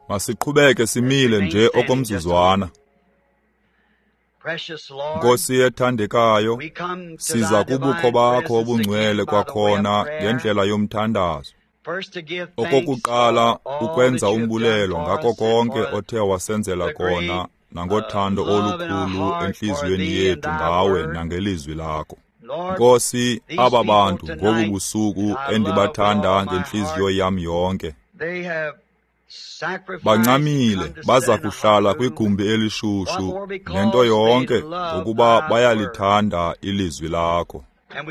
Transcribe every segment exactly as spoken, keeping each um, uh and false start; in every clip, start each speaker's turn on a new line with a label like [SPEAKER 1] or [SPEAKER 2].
[SPEAKER 1] Masiqhubeke simile nje okomzuzwana. Nkosi ethandekayo, siza kubukho bakho obungcwele kwakhona ngendlela yomthandazo. Okokuqala, ukwenza umbulelo ngako konke othe wasenzela kona nangothando olukhulu entliziyweni yethu ngawe nangelizwi lakho. Nkosi, aba bantu ngobu busuku endibathanda ngentliziyo yam yonke, bancamile baza kuhlala kwigumbi elishushu nento yonke ngokuba bayalithanda ilizwi lakho.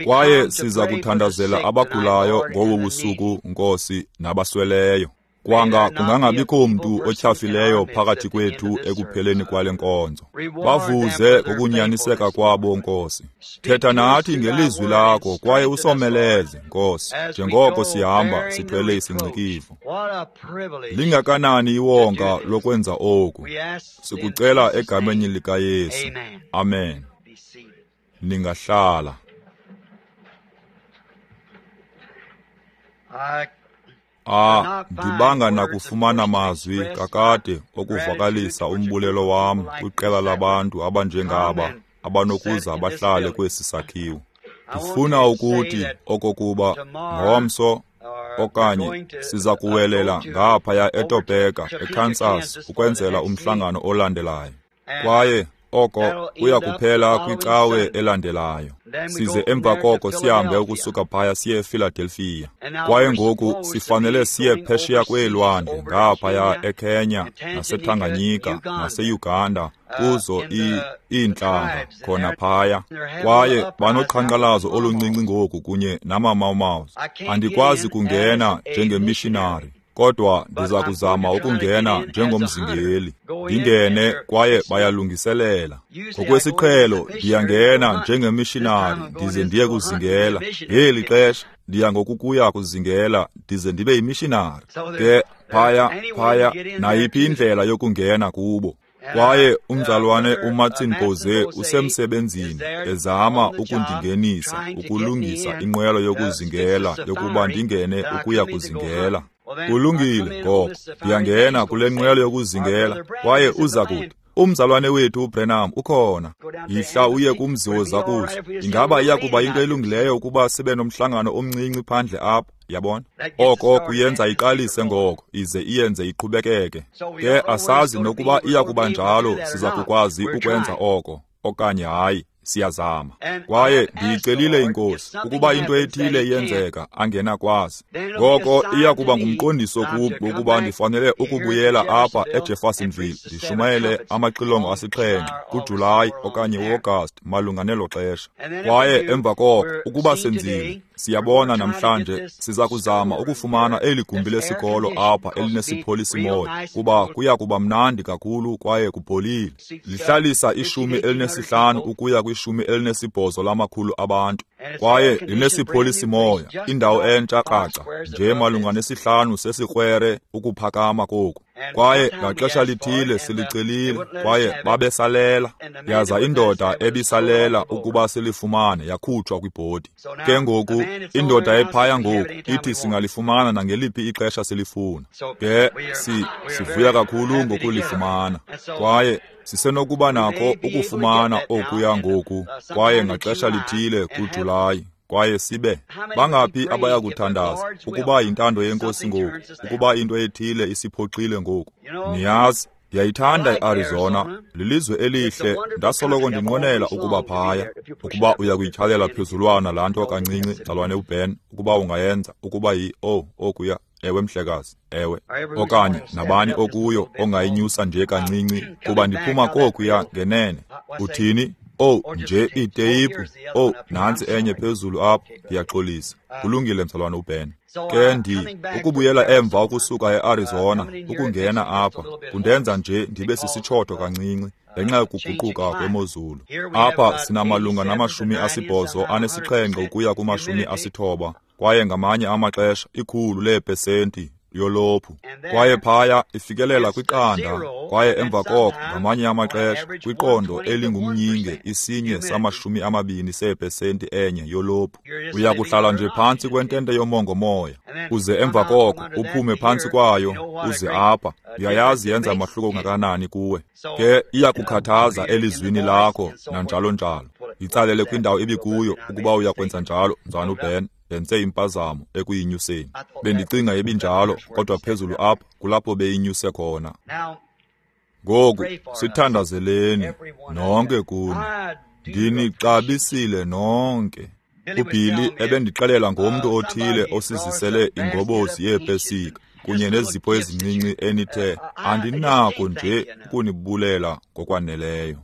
[SPEAKER 1] Kwaye siza kuthandazela abagulayo ngobu busuku, Nkosi, nabasweleyo. Kwanga kungangabikho mntu otyhafileyo phakathi kwethu ekupheleni kwale nkonzo. Bavuze ngokunyaniseka kwabo, Nkosi. Thetha nathi ngelizwi lakho kwaye usomeleze, Nkosi, njengoko sihamba sithwele isingcikivo. Lingakanani iwonga lokwenza oku? Sikucela egameni likaYesu. Amen. Ningahlala. Ah, ndibanga nakufumana mazwi kakade okuvakalisa umbulelo wam kwiqela labantu abanjengaba abanokuza bahlale kwesi sakhiwo. Ndifuna ukuthi okokuba ngomso okanye siza kuwelela ngaphaya eTopeka, eKansas, ukwenzela umhlangano olandelayo. Kwaye oko kuya kuphela kwicawe elandelayo. Size emva koko sihambe ukusuka phaya siye ePhiladelphia. Kwaye ngoku sifanele siye phesheya kweelwandle ngaphaya eKenya, naseTanganyika, naseUganda, kuzo iintlanga khona phaya. Kwaye banoqhankqalazo oluncinci ngoku kunye namaMau-Mau. Andikwazi kungena njengemishinari, kodwa ndiza kuzama ukungena njengomzingeli. Ndingene kwaye bayalungiselela. Ngokwesiqhelo ndiyangena njengemishinari ndize ndiye kuzingela. Ngeli xesha ndiya ngokukuya kuzingela ndize ndibe yimishinari. Ke phaya phaya nayiphi indlela yokungena kubo. Kwaye umzalwane uMartin Boze usemsebenzini ezama ukundingenisa, ukulungisa inqwelo yokuzingela yokuba ndingene ukuya kuzingela. Kulungile ngoko, ndiyangena kule nqwelo yokuzingela kwaye uza kuthi, umzalwane wethu uBrenham ukhona. Yihla uye kumzi wozakuzo. Ingaba iya kuba into elungileyo ukuba sibe nomhlangano omncinci phandle apha? Yabona? Oko kuyenza iqalise ngoko, ize iyenze iqhubekeke. Ke asazi nokuba iya kuba njalo, siza kukwazi ukwenza oko okanye hayi. Siyazama. Kwaye ndiyicelile iNkosi ukuba into ethile iyenzeka angenakwazi. Ngoko iya kuba ngumqondiso kum wokuba ndifanele ukubuyela apha eJeffersonville ndishumayele amaxilongo asixhenxe kuJulayi okanye uAugust malunga nelo xesha. Kwaye emva koko ukuba senzile, siyabona namhlanje siza kuzama ukufumana eli gumbi lesikolo apha elinesipholisi-moya, kuba kuya kuba mnandi kakhulu kwaye kupholile. Lihlalisa ishumi elinesihlanu ukuya kwishumi elinesibhozo lamakhulu abantu. Kwaye linesipholisi-moya, indawo entsha kraca, nje malunga nesihlanu sesikwere ukuphakama koku. Kwaye ngaxesha lithile silicelile, kwaye babesalela. Yaza indoda ebisalela ukuba silifumane yakhutshwa kwibhodi. Ke ngoku indoda ephaya ngoku ithi singalifumana nangeliphi ixesha silifuna. Ke si sivuya kakhulu ngokulifumana. Kwaye sisenokuba nako ukufumana okuya ngoku, kwaye ngaxesha lithile kuJulayi. Kwaye sibe bangaphi abaya kuthandaza ukuba yintando yeNkosi ngoku, ukuba into ethile isiphoxile ngoku. Niyazi, ndiyayithanda iArizona, lilizwe elihle, ndasoloko ndinqwenela ukuba phaya. Ukuba uya kuyityhalela phezulwana laa nto kancinci, mzalwane uBen, ukuba ungayenza, ukuba yi oh okuya, ewe mhlekazi, ewe. Okanye nabani okuyo ongayinyusa nje kancinci, kuba ndiphuma kokuya ngenene. Uthini? Oh, nje iiteyipu. Oh, nantsi enye phezulu apho, ndiyaxolisa. Kulungile mzalwane uBen. Ke ndi ukubuyela emva ukusuka eArizona ukungena apha kundenza nje ndibe sisitshoto kancinci ngenxa yokuguquka kwemozulu. Apha sinamalunga namashumi asibhozo anesixhenxe ukuya kumashumi asithoba, kwaye ngamanye amaxesha ikhulu leepesenti yolophu. Kwaye phaya ifikelela kwiqanda, kwaye emva koko ngamanye amaxesha kwiqondo elingumnyinge isinye samashumi amabini seepesenti enye yolophu. Uya kuhlala nje phantsi kwentente yomongomoya. Uze emva koko uphume phantsi kwayo uze apha, uyayazi yenza mahluko ngakanani kuwe. Ke iyakukhathaza elizwini lakho nanjalo njalo. Yitsalele kwindawo ibikuyo ukuba uyakwenza njalo, mzalwana uBen. Ndenze impazamo ekuyinyuseni. Bendicinga ibinjalo, kodwa phezulu apha kulapho beyinyuse khona. Ngoku sithandazeleni nonke kuni. Ndinixabisile nonke. UBilly ebendixelela ngomntu othile osizisele ingobozi yeepesika kunye nezipho ezincinci enithe andinako nje ukunibulela ngokwaneleyo.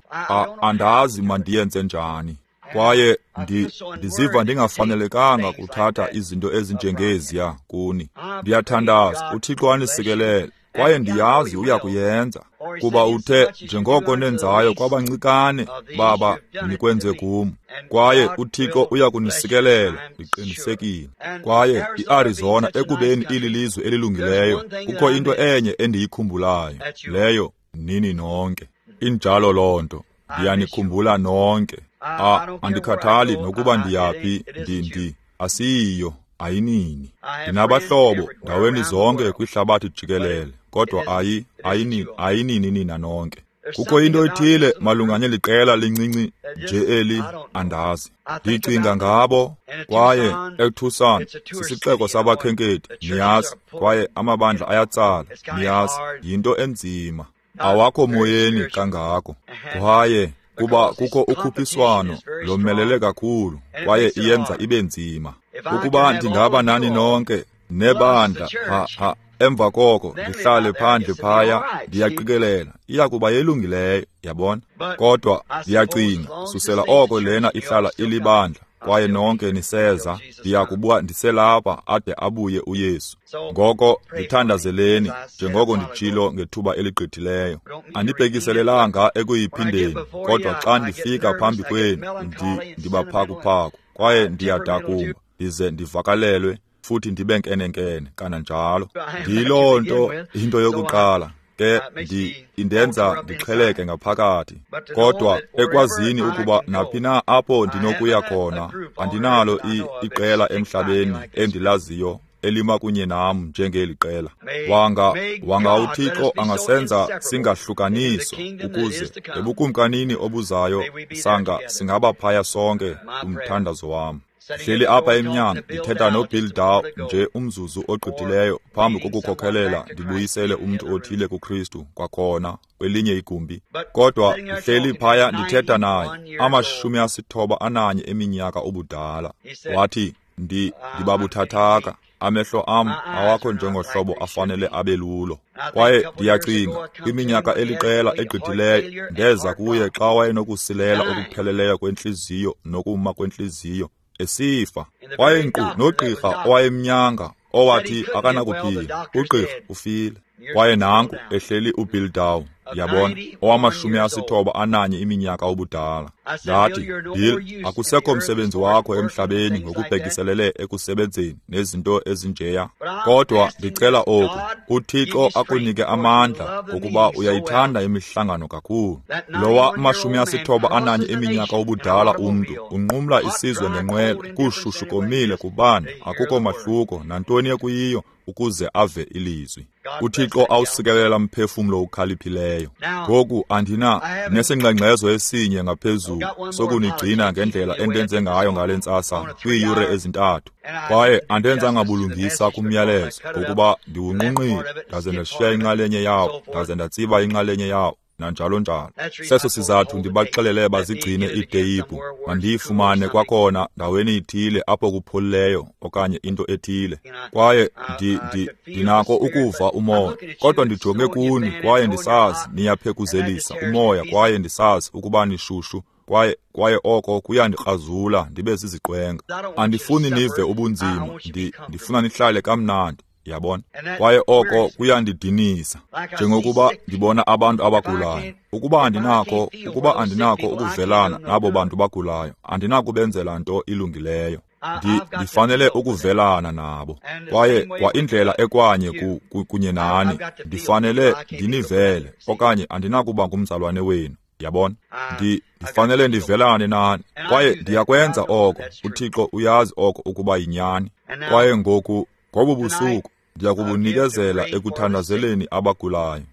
[SPEAKER 1] Andazi mandiyenze njani. Kwaye ndi, ndiziva ndingafanelekanga kuthatha izinto ezinjengeziya kuni. Ndiyathandaza uThixo anisikelele, kwaye ndiyazi uyakuyenza, kuba uthe njengoko nenzayo kwabancikane baba nikwenze kum. Kwaye uThixo uyakunisikelela, ndiqinisekile. Kwaye iArizona ekubeni ililizwe elilungileyo, kukho into enye endiyikhumbulayo, leyo nini nonke. Injalo loo nto, ndiyanikhumbula nonke. A, andikhathali nokuba ndiyaphi, ndi ndi asiyiyo, ayinini. Ndinabahlobo ndaweni zonke kwihlabathi jikelele, kodwa ayi ayinini ayinini nina nonke. Kukho into ethile malunga neli qela lincinci nje eli, andazi. Ndicinga ngabo, kwaye eTucson sisixeko sabakhenkethi, niyazi, kwaye amabandla ayatsala, niyazi, yinto enzima. Awakho moyeni kangako. Kwaye kuba kukho ukhuphiswano lomelele kakhulu, kwaye iyenza ibe nzima. Ukuba ndingaba nani nonke nebandla, ha ha, emva koko ndihlale phandle phaya, ndiyaqikelela iyakuba yelungileyo, yabona. Kodwa ndiyacinga susela oko lena ihlala ilibandla, kwaye nonke niseza, ndiyakuba ndiselapha ade abuye uYesu. Ngoko ndithandazeleni njengoko nditshilo ngethuba eligqithileyo. Andibhekiselelanga ekuyiphindeni, kodwa xa ndifika phambi kwenu ndi ndibaphakuphaku, kwaye ndiyadakumba, ndize ndivakalelwe futhi ndibe nkenenkene kananjalo. Ndiyiloo nto into yokuqala. Ke ndi indenza ndixheleke ngaphakathi, kodwa ekwazini ukuba naphi na apho ndinokuya khona, andinalo iqela emhlabeni endilaziyo elima kunye nam njengeli qela. Wanga wanga uThixo angasenza singahlukaniswa, ukuze ebukumkanini obuzayo sanga singaba phaya sonke. Umthandazo wam. Hleli apha emnyango ndithetha noBill Dow nje umzuzu ogqithileyo phambi kokukhokhelela ndibuyisele umntu othile kuKristu kwakhona kwelinye igumbi. Kodwa ndihleli phaya ndithetha naye, amashumi asithoba ananye eminyaka ubudala. Wathi, ndi ndibabuthathaka, amehlo am awakho njengohlobo afanele abe lulo. Kwaye ndiyacinga kwiminyaka eliqela egqithileyo ndeza kuye xa wayenokusilela okupheleleyo kwentliziyo nokuma kwentliziyo, esifa. Kwaye nkqu nogqirha owayemnyanga owathi akanakuphila, ugqirha ufile. Kwaye nanku ehleli uBill Dow, yabona, owamashumi asithoba ananye iminyaka ubudala. Ndathi, Bill, akusekho msebenzi wakho emhlabeni ngokubhekiselele ekusebenzeni nezinto ezinjeya. Kodwa ndicela oku, uThixo akunike amandla ngokuba uyayithanda imihlangano kakhulu. Lowa mashumi asithoba ananye iminyaka ubudala umntu unqumla isizwe ngenqwelo, kushushu komile kubanda, akukho mahluko nantoni ekuyiyo, ukuze ave ilizwi. uThixo awusikelela mphefumlo ukhaliphileyo. Ngoku andina nesingxengxezo esinye ngaphezulu sokunigcina ngendlela endenze ngayo ngale ntsasa kwiiyure ezintathu. Kwaye andenzanga bulungisa kumyalezo ngokuba ndiwunqunqile, ndaze ndashiya inxalenye yawo, ndaze ndatsiba inxalenye yawo, nanjalo njalo. Seso sizathu ndibaxelele bazigcine iiteyiphu, mandiyifumane kwakhona ndaweni ithile apho kupholileyo okanye into ethile. Kwaye ndi, ndi, ndinako ukuva umoya, kodwa ndijonge kuni kwaye ndisazi niyaphekuzelisa umoya, kwaye ndisazi ukuba nishushu, kwaye kwaye oko kuyandikrazula ndibe ziziqwenga. Andifuni nive ubunzima, ndi, ndifuna nihlale kamnandi. Yabona? Kwaye oko kuyandidinisa, njengokuba ndibona abantu abagulayo. Ukuba andinako, ukuba andinako ukuvelana nabo bantu bagulayo, andinakubenzela nto ilungileyo. Ndi, ndifanele ukuvelana nabo. Kwaye kwa indlela ekwanye ku, ku, kunye nani, ndifanele ndinivele, okanye andinakuba ngumzalwane wenu. Yabona? Ndi, ndifanele ndivelane nani. Kwaye ndiyakwenza oko. UThixo uyazi oko ukuba yinyani. Kwaye ngoku Ngobu busuku ndiya kubunikezela ekuthandazeleni abagulayo.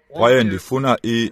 [SPEAKER 1] Kwaye ndifuna i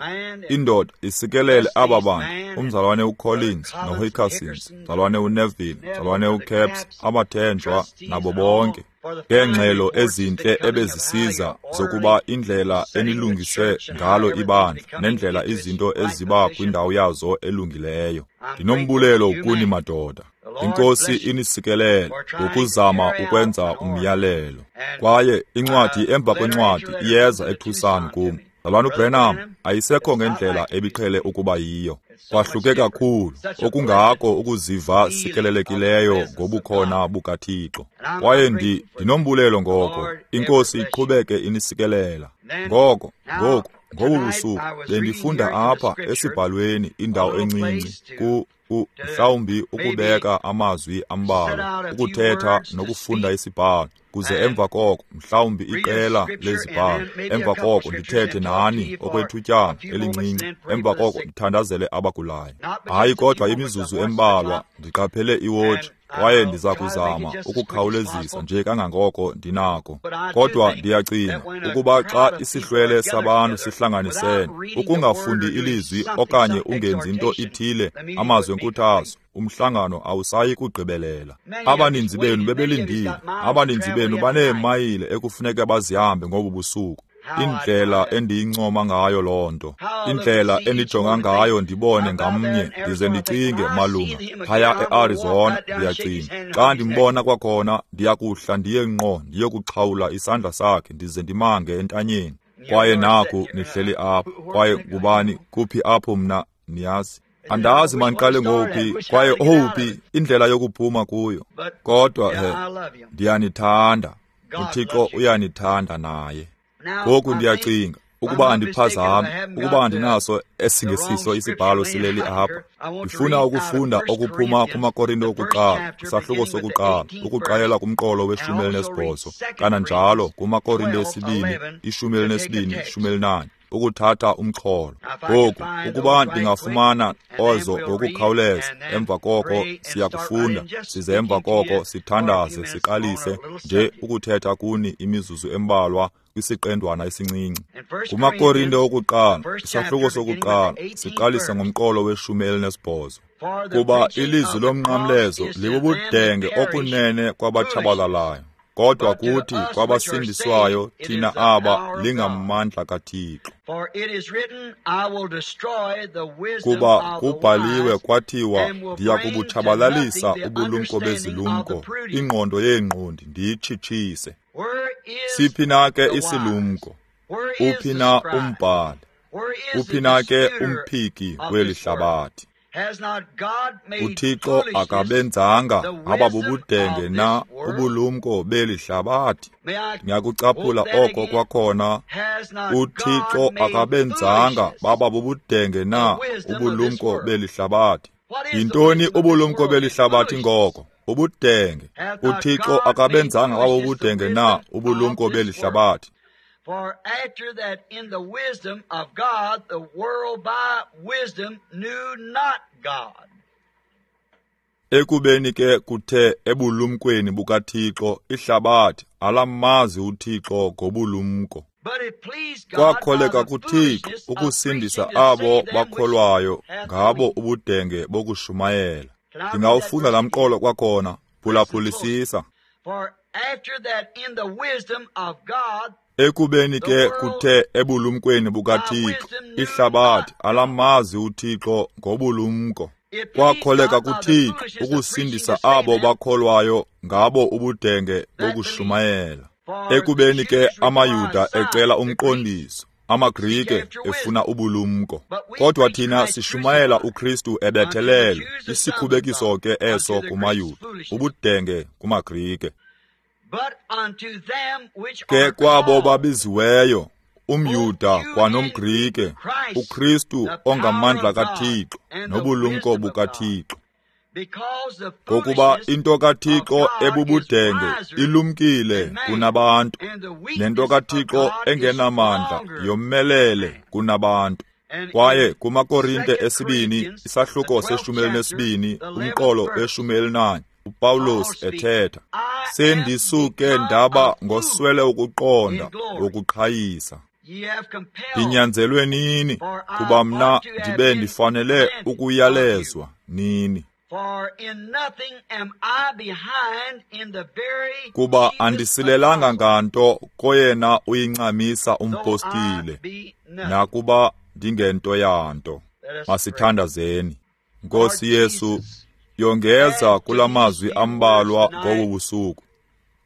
[SPEAKER 1] indoda isikelele aba bantu, umzalwane uCollins noHickersons, mzalwane uNeville, mzalwane uCaps, abathenjwa nabo bonke, ngeengxelo ezintle ebezisiza zokuba indlela enilungise ngalo ibandla nendlela izinto eziba kwindawo yazo elungileyo. Ndinombulelo kuni madoda. INkosi inisikelele ngokuzama ukwenza umyalelo. Kwaye incwadi emva kwencwadi iyeza eTucson kum. Mzalwana uBranham ayisekho ngendlela ebiqhele ukuba yiyo. Kwahluke kakhulu, okungako ukuziva sikelelekileyo ngobukhona bukaThixo. Kwaye ndi ndinombulelo ngoko, iNkosi iqhubeke inisikelela. Ngoko, ngoku, ngobu busuku bendifunda apha esibhalweni indawo encinci ku mhlawumbi ukubeka amazwi ambalwa, ukuthetha nokufunda isibhalo, kuze emva koko mhlawumbi iqela lezibhalo, emva koko ndithethe nani okwethutyana elincinci, emva koko ndithandazele abagulayo. Hayi kodwa imizuzu embalwa, ndiqaphele iwotshi, kwaye ndiza kuzama ukukhawulezisa nje kangangoko ndinako. Kodwa ndiyacinga ukuba xa isihlwele sabantu sihlanganisene, ukungafundi ilizwi okanye ungenzi nto ithile, amazwi enkuthazo, umhlangano awusayi kugqibelela. Abaninzi benu bebelindile, abaninzi benu baneemayile ekufuneka bazihambe ngobu busuku. Indlela endiyincoma ngayo loo nto, indlela endijonga ngayo ndibone ngamnye, ndize ndicinge malunga phaya eArizona. Ndiyacinga xa ndimbona kwakhona ndiyakuhla ndiye ngqo ndiyokuxhawula isandla sakhe ndize ndimange entanyeni. Kwaye naku nihleli apha, kwaye ngubani kuphi apho mna, niyazi andazi mandiqale ngowuphi kwaye owuphi indlela yokuphuma kuyo. Kodwa he, ndiyanithanda, uThixo uyanithanda naye. Ngoku ndiyacinga ukuba andiphazami, ukuba andinaso esingesiso isibhalo sileli apha. Ndifuna ukufunda okuphuma kumaKorinte okuqala, isahluko sokuqala, ukuqalela kumqolo weshumi elinesibhozo, kananjalo kumaKorinte esibini, ishumi elinesibini, ishumi elinanye, ukuthatha umxholo. Ngoku ukuba ndingafumana ozo ngokukhawuleza, emva koko siyakufunda, size emva koko sithandaze, siqalise nje ukuthetha kuni imizuzu embalwa kwisiqendwana esincinci. KumaKorinte okuqala, isahluko sokuqala, siqalisa ngomqolo weshumi elinesibhozo. Kuba ilizwi lomnqamlezo libubudenge okunene kwabatshabalalayo, kodwa kuthi kwabasindiswayo thina aba lingamandla kaThixo. Kuba kubhaliwe kwathiwa, ndiya kubutshabalalisa ubulumko bezilumko, ingqondo yeengqondi ndiyitshitshise. Siphi na ke isilumko? Uphi na umbhali? Uphi na ke umphiki kweli hlabathi? UThixo akabenzanga ababubudenge na ubulumko beli hlabathi? Ngiyakucaphula oko kwakhona. UThixo akabenzanga bababubudenge na ubulumko beli hlabathi? Yintoni ubulumko beli hlabathi ngoko? Ubudenge. UThixo akabenzanga babubudenge na ubulumko beli hlabathi?
[SPEAKER 2] For after that in the wisdom of God, the world by wisdom knew not God.
[SPEAKER 1] Ekubeni ke kuthe ebulumkweni bukaThixo ihlabathi alamazi uThixo ngobulumko. Kwakholeka kuThixo ukusindisa abo bakholwayo ngabo ubudenge bokushumayela. Ndingawufunda laa mqolo kwakhona, phulaphulisisa.
[SPEAKER 2] For after that in the wisdom of God,
[SPEAKER 1] Ekubeni ke kuthe ebulumkweni bukaThixo ihlabathi alamazi uThixo ngobulumko. Kwakholeka kuThixo ukusindisa abo bakholwayo ngabo ubudenge bokushumayela. Ekubeni ke amaYuda ecela umqondiso, amaGrike efuna ubulumko. Kodwa thina sishumayela uKristu ebethelelwe, isikhubekiso ke eso kumaYuda, ubudenge kumaGrike. Ke kwabo babiziweyo, umYuda kwanomGrike, uKristu ongamandla kaThixo nobulumko bukaThixo. Ngokuba into kaThixo ebubudenge ilumkile kunabantu, nento kaThixo engenamandla yomelele kunabantu. Kwaye kumaKorinte esibini, isahluko seshumi elinesibini, umqolo weshumi elinanye, uPawulos ethetha, sendisuke ndaba ngoswele ukuqonda ngokuqhayisa. Ndinyanzelwe nini, kuba mna ndibe ndifanele ukuyalezwa nini. Kuba andisilelanga nganto koyena uyincamisa umpostile, nakuba ndingento yanto. Masithandazeni. Nkosi Yesu, yongeza kulamazwi ambalwa ngobu busuku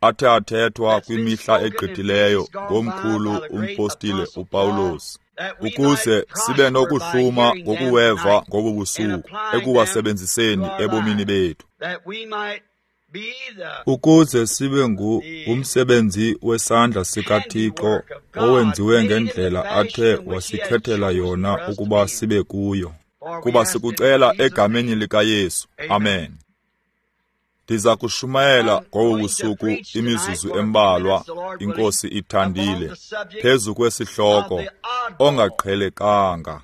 [SPEAKER 1] athe athethwa kwimihla egqithileyo ngomkhulu umpostile uPawulos, ukuze sibe nokuhluma ngokuweva ngobu busuku ekuwasebenziseni ebomini bethu, ukuze sibe ngumsebenzi wesandla sikaThixo owenziwe ngendlela athe wasikhethela yona ukuba sibe kuyo. Kuba sikucela egameni likaYesu. Amen. Ndiza kushumayela ngobu busuku imizuzu embalwa, iNkosi ithandile, phezu kwesihloko ongaqhelekanga.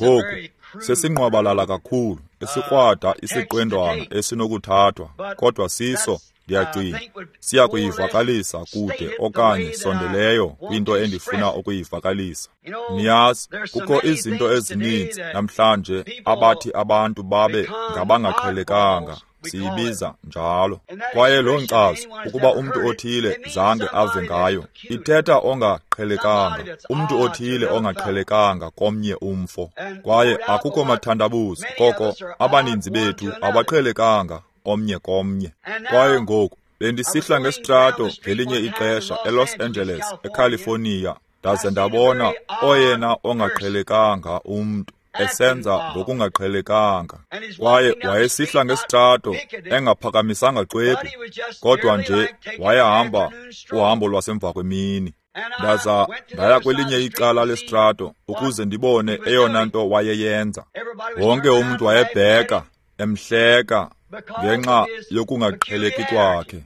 [SPEAKER 1] Ngoku sesinqwabalala kakhulu, esikrwada isiqendwana esinokuthathwa, kodwa siso, ndiyacinga, siya kuyivakalisa kude okanye sondeleyo kwinto endifuna ukuyivakalisa. Niyazi, kukho izinto ezininzi namhlanje abathi abantu babe ngabangaqhelekanga, siyibiza njalo. Kwaye loo nkcazo, ukuba umntu othile zange ave ngayo, ithetha ongaqhelekanga, umntu othile ongaqhelekanga komnye umfo. Kwaye akukho mathandabuzo koko abaninzi bethu abaqhelekanga omnye komnye. Kwaye ngoku bendisihla ngesitrato ngelinye ixesha eLos Angeles, eCalifornia, ndaze ndabona oyena ongaqhelekanga umntu esenza ngokungaqhelekanga. Kwaye wayesihla ngesitrato engaphakamisanga xwebhu, kodwa nje wayehamba uhambo lwasemva kwemini. Ndaza ndaya kwelinye icala lesitrato ukuze ndibone eyona nto wayeyenza. Wonke umntu wayebheka, emhleka ngenxa yokungaqheleki kwakhe.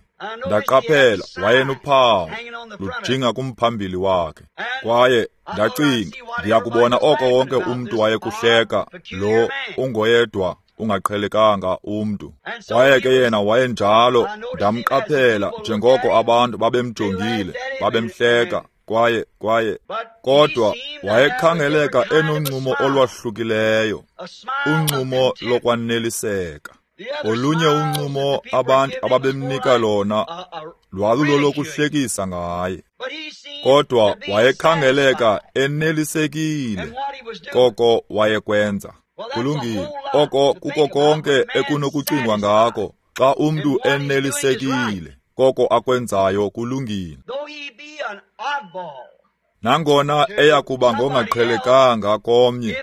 [SPEAKER 1] Ndaqaphela wayenophawu lujinga kumphambili wakhe. Kwaye ndacinga, ndiyakubona oko wonke umntu wayekuhleka, lo ungoyedwa ungaqhelekanga umntu. Kwaye ke yena wayenjalo. Ndamqaphela njengoko abantu babemjongile, babemhleka, kwaye kwaye kodwa wayekhangeleka enoncumo olwahlukileyo, uncumo lokwaneliseka. Olunye uncumo abantu ababemnika lona lwalulolokuhlekisa ngaye, kodwa wayekhangeleka enelisekile koko wayekwenza. Kulungile, oko kuko konke ekunokucingwa ngako. Xa umntu enelisekile koko akwenzayo kulungile. Nangona eyakuba ngongaqhelekanga komnye,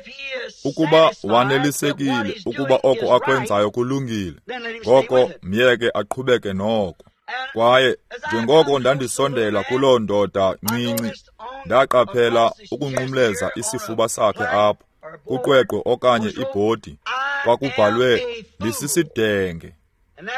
[SPEAKER 1] ukuba wanelisekile ukuba oko akwenzayo kulungile, ngoko myeke aqhubeke noko. Kwaye njengoko ndandisondela kuloo ndoda ncinci, ndaqaphela ukunqumleza isifuba sakhe apho kuqweqwe okanye ibhodi kwakubhalwe ndisisidenge,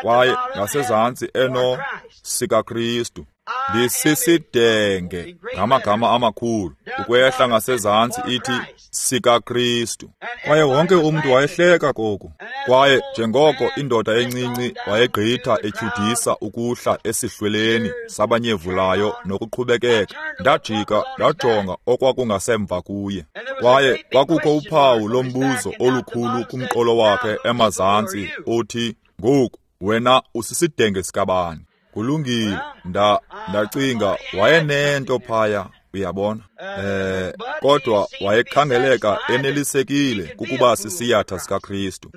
[SPEAKER 1] kwaye ngasezantsi eno sikaKristu. Ndisisidenge ngamagama amakhulu, ukwehla ngasezantsi ithi sikaKristu. Kwaye wonke umntu wayehleka koku. Kwaye njengoko indoda encinci wayegqitha etyhudisa ukuhla esihlweleni sabanyevulayo nokuqhubekeka, ndajika ndajonga okwakungasemva kuye. Kwaye kwakukho uphawu lombuzo olukhulu kumqolo wakhe emazantsi othi, ngoku wena usisidenge sikabani? Kulungile, nda ndacinga wayenento phaya, uyabona. Eh, kodwa wayekhangeleka enelisekile kukuba sisiyatha sikaKristu.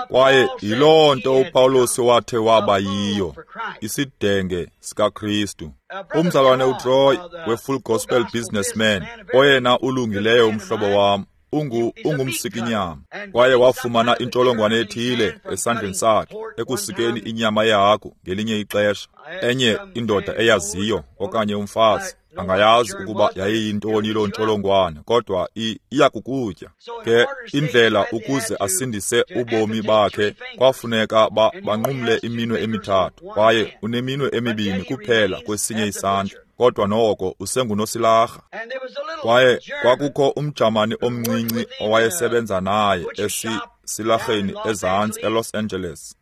[SPEAKER 1] Kwaye yiloo nto uPawulos wathe waba yiyo, isidenge sikaKristu. Umzalwane uTroy we-Full Gospel Businessman, oyena ulungileyo umhlobo wam, ungu ungumsikinyama, kwaye wafumana intsholongwane ethile esandleni sakhe ekusikeni inyama yehagu ngelinye ixesha. Enye indoda eyaziyo okanye umfazi angayazi ukuba yayiyintoni loo ntsholongwane, kodwa iyakukutya. Ke indlela ukuze asindise ubomi bakhe kwafuneka ba banqumle iminwe emithathu, kwaye uneminwe emibini kuphela kwesinye isandla, kodwa noko usengunosilarha. Kwaye kwakukho umjamani omncinci owayesebenza naye esisilaheni ezantsi eLos Angeles.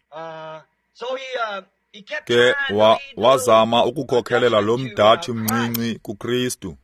[SPEAKER 1] Ke wa, wazama ukukhokelela lo mDatshi mncinci kuKristu.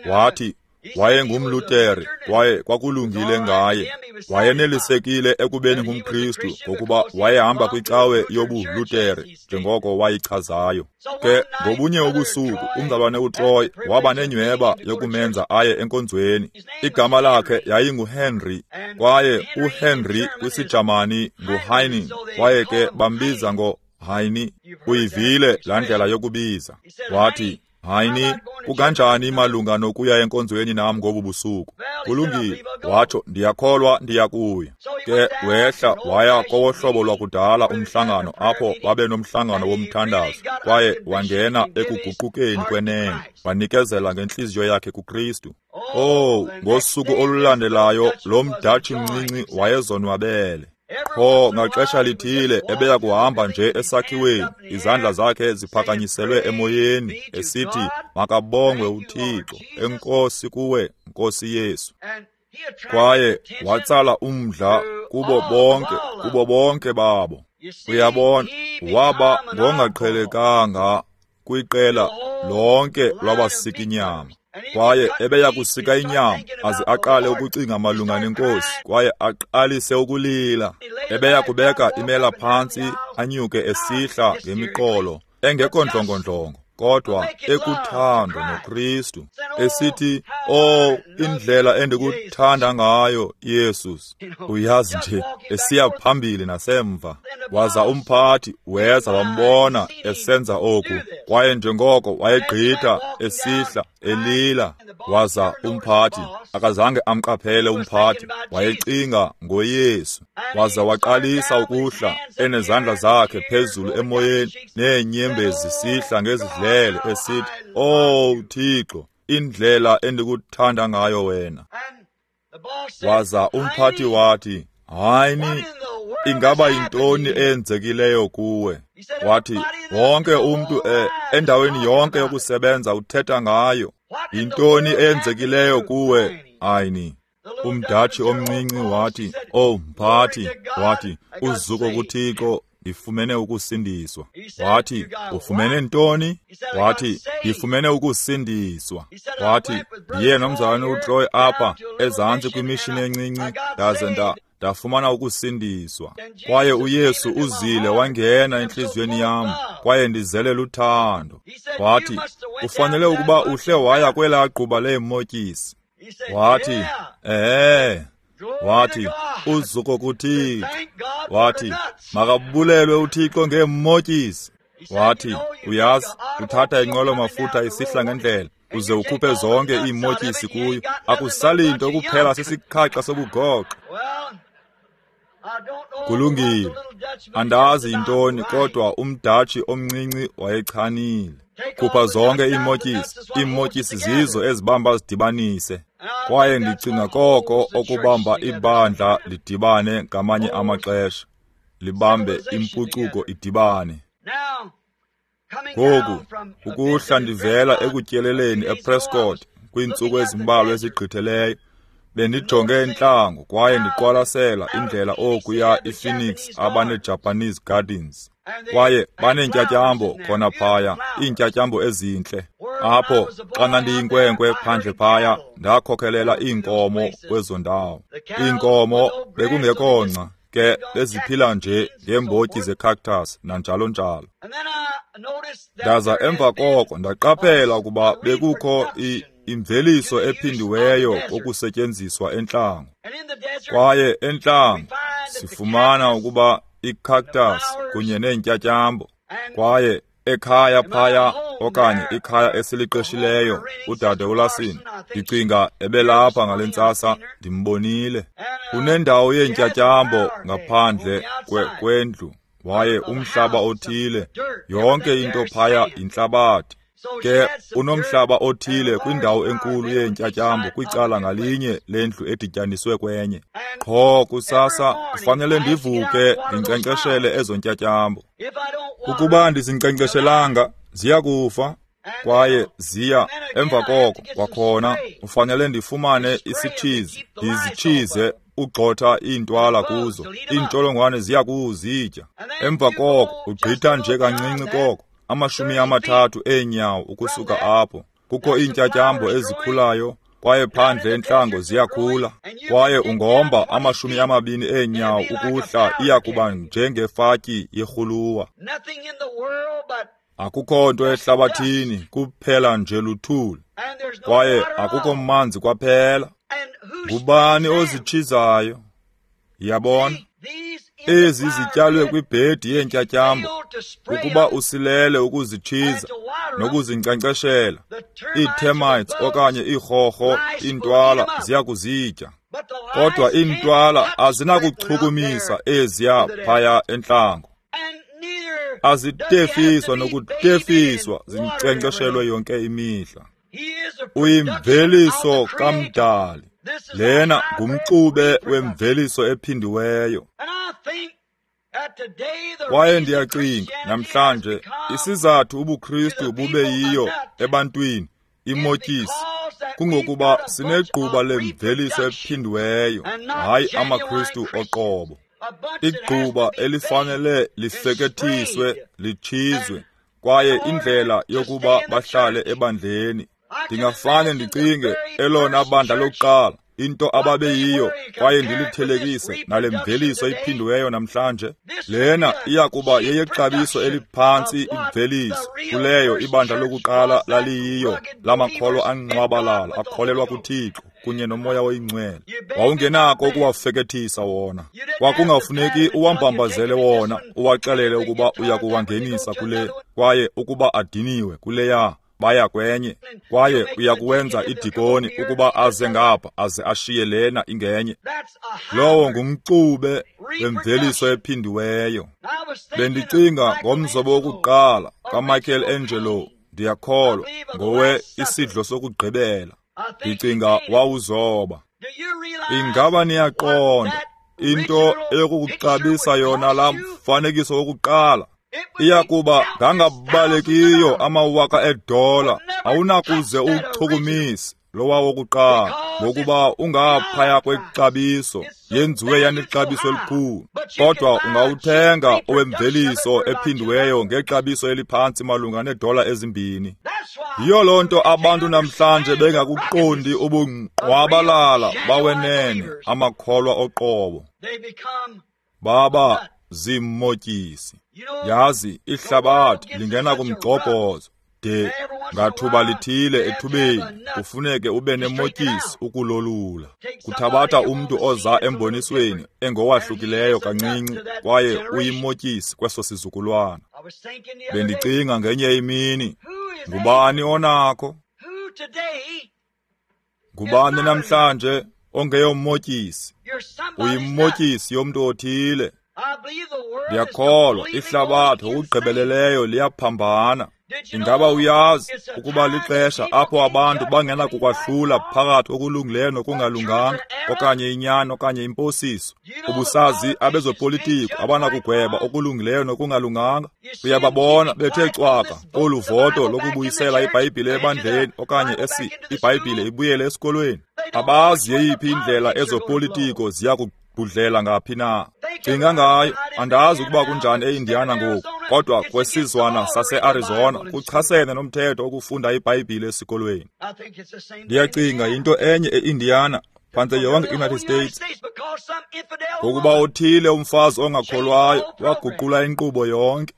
[SPEAKER 1] Wathi wayengumLuthere kwaye kwakulungile ngaye. Wayenelisekile ekubeni ngumKristu ngokuba wayehamba kwicawe yobuLuthere njengoko wayichazayo. Ke ngobunye ubusuku umzalwane uTroy waba nenyweba yokumenza aye enkonzweni. Igama lakhe yayinguHenry, kwaye uHenry kwisiJamani nguHeini, kwaye ke bambiza ngoHeini. Uyivile laa ndlela yokubiza. Wathi, Heini, kukanjani malunga nokuya enkonzweni nam ngobu busuku? Kulungile, watsho, ndiyakholwa ndiyakuya. Ke wehla waya kowohlobo lwakudala umhlangano apho babe nomhlangano womthandazo, kwaye wangena ekuguqukeni kwenene, wanikezela ngentliziyo yakhe kuKristu. Oh, ngosuku olulandelayo lo mDatshi mncinci wayezonwabele. Pho ngaxesha lithile ebeya kuhamba nje esakhiweni, izandla zakhe ziphakanyiselwe emoyeni, esithi, makabongwe uThixo, enkosi kuwe, Nkosi Yesu. Kwaye watsala umdla kubo bonke, kubo bonke babo. Uyabona, waba ngongaqhelekanga kwiqela lonke lwabasika inyama. Kwaye ebeya kusika inyama aze aqale ukucinga malunga nenkosi, kwaye aqalise ukulila. Ebeya kubeka imela phantsi, anyuke esihla ngemiqolo engekho ndlongondlongo, kodwa ekuthando noKristu, esithi, oh, indlela endikuthanda ngayo, Yesus. Uyazi nje, esiya phambili nasemva. Waza umphathi weza wambona esenza oku, kwaye njengoko wayegqitha esihla elila. Waza umphathi akazange amqaphele umphathi, wayecinga ngoYesu. Waza waqalisa ukuhla enezandla zakhe phezulu emoyeni, neenyembezi zisihla ngezidlele, esithi, oh Thixo, indlela endikuthanda ngayo wena. Waza umphathi wathi, Heini, ingaba yintoni eyenzekileyo kuwe? Wathi, wonke umntu eh, endaweni yonke yokusebenza uthetha ngayo. Yintoni eyenzekileyo kuwe, Heini? UmDatshi omncinci wathi, oh mphathi, wathi, uzuko kuThixo, ndifumene ukusindiswa. Wathi, ufumene ntoni? Wathi, ndifumene ukusindiswa. Wathi, ndiye nomzalwane uTroy apha ezantsi kwimishini encinci, ndaze nda ndafumana ukusindiswa. Kwaye uYesu uzile wangena entliziyweni yam, kwaye ndizele luthando. Wathi, ufanele ukuba uhle waya kwelaa gquba leemotyisi. Wathi, ehe. Wathi, uzuko kuThixo. Wathi, makabulelwe uThixo ngeemotyisi. Wathi, uyazi, uthatha inqwelo-mafutha isihla ngendlela, uze ukhuphe zonke iimotyisi kuyo, akusali nto kuphela sisikhaxa sobugoxo. Kulungile, andazi yintoni, kodwa umDatshi omncinci wayechanile. Khupha zonke iimotyisi, iimotyisi zizo ezibamba zidibanise. Kwaye ndicinga koko okubamba ibandla lidibane ngamanye amaxesha, libambe impucuko idibane. Ngoku, ukuhla ndivela ekutyeleleni ePrescott kwiintsuku ezimbalwa ezigqithileyo, bendijonge entlango kwaye ndiqwalasela indlela okuya iPhoenix abaneJapanese Gardens. Kwaye baneentyatyambo khona phaya, iintyatyambo ezintle. Apho, xa ndandiyinkwenkwe phandle phaya, ndakhokelela iinkomo kwezo ndawo. Iinkomo bekungekho ngca, ke beziphila nje ngeembotyi zecactus nanjalo njalo. Ndaza emva koko ndaqaphela ukuba bekukho imveliso ephindiweyo kokusetyenziswa entlango. Kwaye entlango sifumana ukuba icactus kunye neentyatyambo, kwaye ekhaya phaya okanye ikhaya esiliqeshileyo udade uLasin, ndicinga ebelapha ngale ntsasa, ndimbonile. Unendawo yeentyatyambo ngaphandle kwendlu, waye umhlaba othile, yonke into phaya yintlabathi. Ke unomhlaba othile kwindawo enkulu yeentyatyambo kwicala ngalinye lendlu edityaniswe kwenye. Qho kusasa kufanele ndivuke ndinkcenkceshele ezo ntyatyambo. Ukuba ndizinkcenkceshelanga ziya kufa, kwaye ziya emva koko kwakhona kufanele ndifumane isitshizi ndizitshize ugxotha iintwala kuzo, iintsholongwane ziya kuzitya. Emva koko ugqitha nje kancinci koko, amashumi amathathu eenyawo ukusuka apho, kukho iintyatyambo ezikhulayo, kwaye phandle entlango ziyakhula. Kwaye ungomba amashumi amabini eenyawo ukuhla, iya kuba njengefatyi yerhuluwa. Akukho nto ehlabathini, kuphela nje luthuli, kwaye akukho manzi kwaphela. Ngubani ozitshizayo? Yabona, ezi zityalwe kwibhedi yeentyatyambo, ukuba usilele ukuzitshiza nokuzinkcenkceshela, ii-termites okanye iirhorho, iintwala ziya kuzitya. Kodwa iintwala azinakuchukumisa eziya phaya entlango. Azitefiswa nokutefiswa, zinkcenkceshelwe yonke imihla. Uyimveliso kaMdali. Lena ngumxube wemveliso ephindiweyo. Kwaye ndiyacinga namhlanje isizathu ubuKristu bube yiyo ebantwini imotyisi kungokuba sinegquba lemveliso ephindiweyo, hayi amaKristu oqobo. Igquba elifanele lifekethiswe, litshizwe, kwaye indlela yokuba bahlale ebandleni. Ndingafane ndicinge elona bandla lokuqala, into ababeyiyo, kwaye ndilithelekise nale mveliso iphindiweyo namhlanje. Lena iya kuba yeyexabiso eliphantsi imveliso kuleyo ibandla lokuqala laliyiyo, lamakholwa anqwabalala akholelwa kuThixo kunye noMoya oyiNgcwele. Wawungenako ukuwafekethisa wona, kwakungafuneki uwambambazele wona, uwaxelele ukuba uya kuwangenisa kule, kwaye ukuba adiniwe kuleya baya kwenye, kwaye uya kuwenza idikoni ukuba aze ngapha aze ashiye lena ingenye. Lowo ngumxube wemveliso ephindiweyo. Bendicinga ngomzobo wokuqala kaMichael Angelo, ndiyakholwa ngowe isidlo sokugqibela. Ndicinga wawuzoba. Ingaba niyaqonda into eyokukuxabisa yona laa mfanekiso wokuqala? Iya kuba ngangabalekiyo amawaka edola, awunakuze uwuchukumise lowa wokuqala, ngokuba ungaphaya kwexabiso, yenziwe yanexabiso elikhulu. Kodwa ungawuthenga owemveliso ephindiweyo ngexabiso eliphantsi malunga needola ezimbini. Yiyo loo nto abantu namhlanje bengakuqondi ubungqwabalala bawenene amakholwa oqobo. Baba zimotyisi. Yazi, ihlabathi lingena kumgxobhozo de ngathuba lithile ethubeni kufuneke ube nemotyisi ukulolula. Kuthabatha umntu oza embonisweni engowahlukileyo kancinci, kwaye uyimotyisi kweso sizukulwana. Bendicinga ngenye imini, ngubani onakho? Ngubani namhlanje ongeyomotyisi? Uyimotyisi yomntu othile. Ndiyakholwa ihlabathi ngokugqibeleleyo liyaphambana. Ingaba uyazi ukuba lixesha apho abantu bangenakukwahlula phakathi okulungileyo nokungalunganga, okanye inyani okanye imposiso? Ubusazi abezopolitiko abanakugweba okulungileyo nokungalunganga? Uyababona bethe cwaka kolu voto lokubuyisela iBhayibhile ebandleni, okanye esi iBhayibhile ibuyele esikolweni. Abazi yeyiphi indlela ezopolitiko ziya kudlela ngaphi na. Cinga ngayo, andazi ukuba kunjani eIndiana ngoku, kodwa kwesizwana sase-Arizona kuchasene nomthetho wokufunda iBhayibhile esikolweni. Ndiyacinga yinto enye eIndiana, phantse yonke iUnited States, ngokuba othile umfazi ongakholwayo waguqula inkqubo yonke.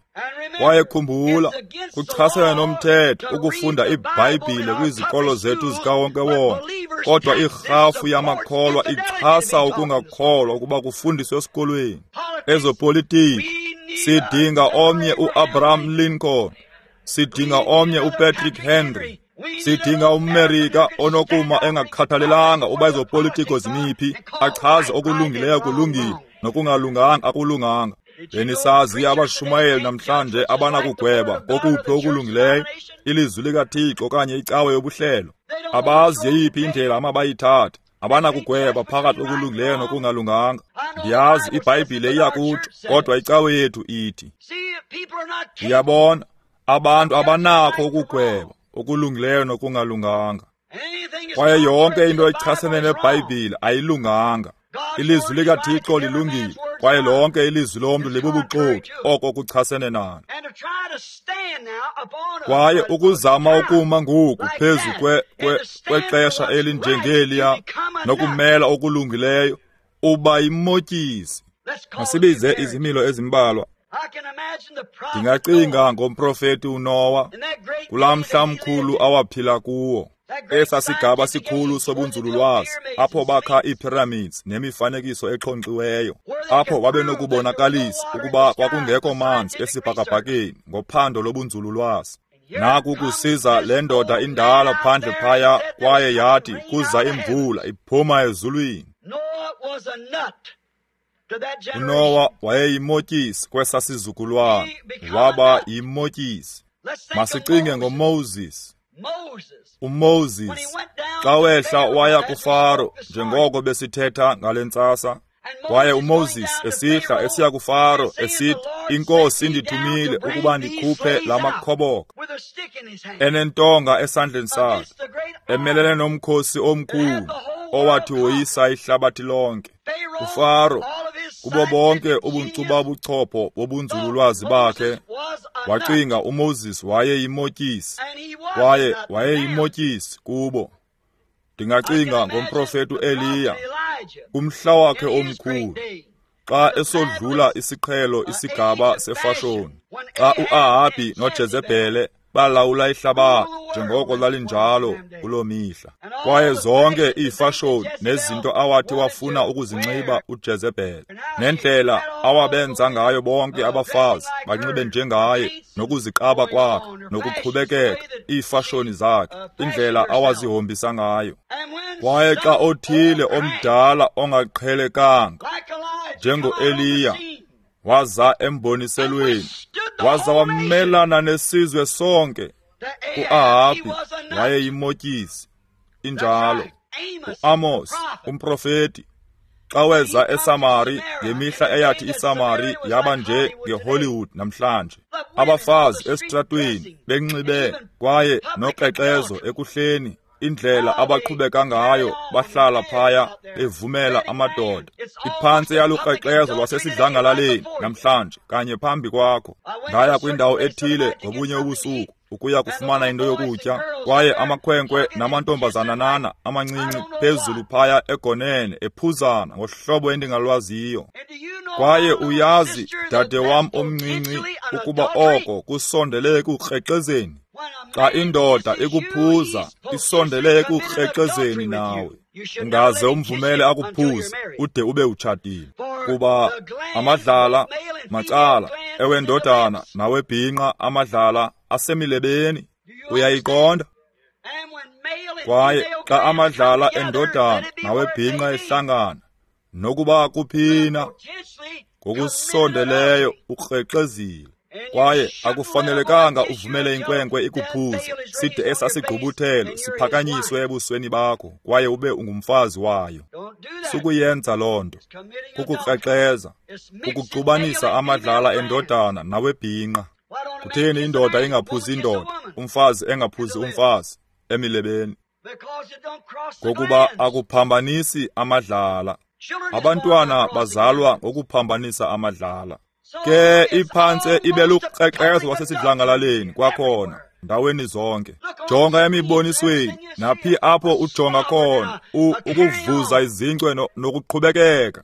[SPEAKER 1] Kwaye khumbula, kuchasene nomthetho ukufunda iBhayibhile kwizikolo zethu zikawonkewonke, kodwa irhafu yamakholwa ixhasa ukungakholwa ukuba kufundiswe esikolweni. Ezopolitiko, sidinga omnye uAbraham Lincoln, sidinga omnye uPatrick Henry, sidinga umMerika onokuma engakhathalelanga uba ezopolitiko zimiphi, achaze okulungileyo kulungile nokungalunganga akulunganga. Benisazi abashumayeli namhlanje abanakugweba kokuphi okulungileyo, ilizwi likaThixo okanye icawe yobuhlelo. Abazi yeyiphi indlela amabayithathe, abanakugweba phakathi okulungileyo nokungalunganga. Ndiyazi iBhayibhile iyakutsho, kodwa icawe yethu ithi. Ndiyabona abantu abanakho ukugweba okulungileyo nokungalunganga, kwaye yonke into echasene neBhayibhile ayilunganga. Ilizwi likaThixo lilungile, kwaye lonke ilizwi lomntu libubuxoki, oko kuchasene nalo. Kwaye ukuzama ukuma ngoku phezu kwe, kwe, kwexesha elinjengeliya nokumela okulungileyo, uba yimotyisi. Masibize izimilo ezimbalwa. Ndingacinga ngomprofeti uNowa kulaa mhla mkhulu awaphila kuwo, esa sigaba sikhulu sobunzululwazi, apho bakha iipyramids nemifanekiso exhonkxiweyo, apho babenokubonakalisa ukuba kwakungekho manzi esibhakabhakeni ngophando lobunzululwazi. Naku kusiza le ndoda indala phandle phaya, kwaye yathi kuza imvula iphuma ezulwini. UNowa wayeyimotyisi kwesa sizukulwana, waba yimotyisi. Masicinge ngoMoses. UMoses xa wehla waya kuFaro, njengoko besithetha ngale ntsasa, kwaye uMoses esihla esiya kuFaro esithi, iNkosi indithumile ukuba ndikhuphe la makhoboka, enentonga esandleni sakhe, emelene nomkhosi omkhulu owathi woyisa ihlabathi lonke. UFaro, kubo bonke ubunkcubabuchopho bobunzululwazi bakhe, wacinga uMoses wayeyimotyisi, kwaye wayeyimotyisi kubo. Ndingacinga ngomprofeti uEliya kumhla wakhe omkhulu, xa esodlula isiqhelo isigaba sefashoni, xa uAhabi noJezebhele balawula ihlabathi njengoko lalinjalo kuloo mihla, kwaye zonke iifashoni nezinto awathi wafuna ukuzinxiba uJezebhele, nendlela awabenza ngayo bonke abafazi banxibe njengaye, nokuziqaba kwakhe nokuqhubekeka, iifashoni zakhe, indlela awazihombisa ngayo. Kwaye xa othile omdala ongaqhelekanga njengoEliya waza emboniselweni, waza wamelana nesizwe sonke, uAhabi wayeyimotyisi. Injalo. UAmos umprofeti, xa weza eSamari ngemihla eyathi iSamari yaba nje ngeHollywood namhlanje, abafazi esitratweni benxibe kwaye nokrexezo ekuhleni, indlela abaqhubeka ngayo, bahlala phaya bevumela amadoda. Iphantse yalukrexezo lwasesidlangalaleni namhlanje kanye phambi kwakho. Ndaya kwindawo ethile ngobunye ubusuku ukuya kufumana into yokutya, kwaye amakhwenkwe namantombazanana amancinci phezulu phaya egonene ephuzana ngohlobo endingalwaziyo. Kwaye uyazi, dade wam omncinci, ukuba oko kusondele ekukrexezeni. Xa indoda ikuphuza, isondele ekukrexezeni nawe. Ungaze umvumele akuphuze ude ube utshatile, kuba amadlala macala ewendodana nawebhinqa amadlala asemilebeni. Uyayiqonda? Kwaye xa amadlala endodana nawebhinqa ehlangana, nokuba kuphina, ngokusondeleyo ukrexezile. Kwaye akufanelekanga uvumele inkwenkwe ikuphuze side esasigqubuthelo siphakanyiswe ebusweni bakho, kwaye ube ungumfazi wayo. Sukuyenza loo nto. Kukukrexeza, kukuxubanisa amadlala endodana nawebhinqa. Kutheni indoda ingaphuzi indoda, umfazi engaphuzi umfazi emilebeni? Ngokuba akuphambanisi amadlala. Abantwana bazalwa ngokuphambanisa amadlala. Ke iphantse ibe lukrexezo lwasesidlangalaleni kwakhona, ndaweni zonke. Jonga emibonisweni, naphi apho ujonga khona, ukuvuza izinkcwe nokuqhubekeka.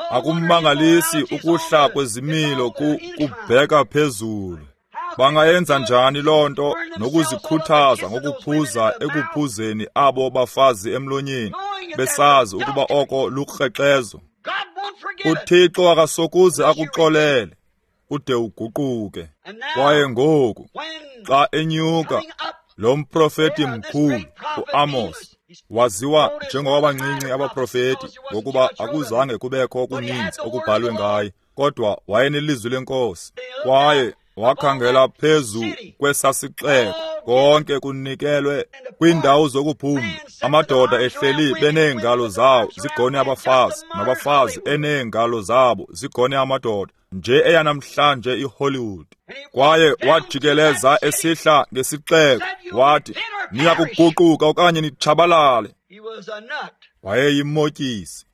[SPEAKER 1] Akumangalisi ukuhla kwezimilo kubheka phezulu. Bangayenza njani loo nto nokuzikhuthaza ngokuphuza ekuphuzeni abo bafazi emlonyeni, besazi ukuba oko lukrexezo? UThixo akasokuze akuxolele ude uguquke. Kwaye ngoku xa enyuka lo mprofeti mkhulu uAmos, waziwa njengowabancinci abaprofeti, ngokuba akuzange kubekho okuninzi okubhalwe ngaye, kodwa wayenelizwi lenkosi. Kwaye wakhangela phezu kwesasixeko, konke kunikelwe kwiindawo zokuphumla, amadoda ehleli beneengalo zawo zigone abafazi, nabafazi eneengalo zabo zigone amadoda, nje eyanamhlanje iHollywood. Kwaye wajikeleza esihla ngesixeko, wathi, niya kuguquka okanye nitshabalale. Wayeyimotyisi.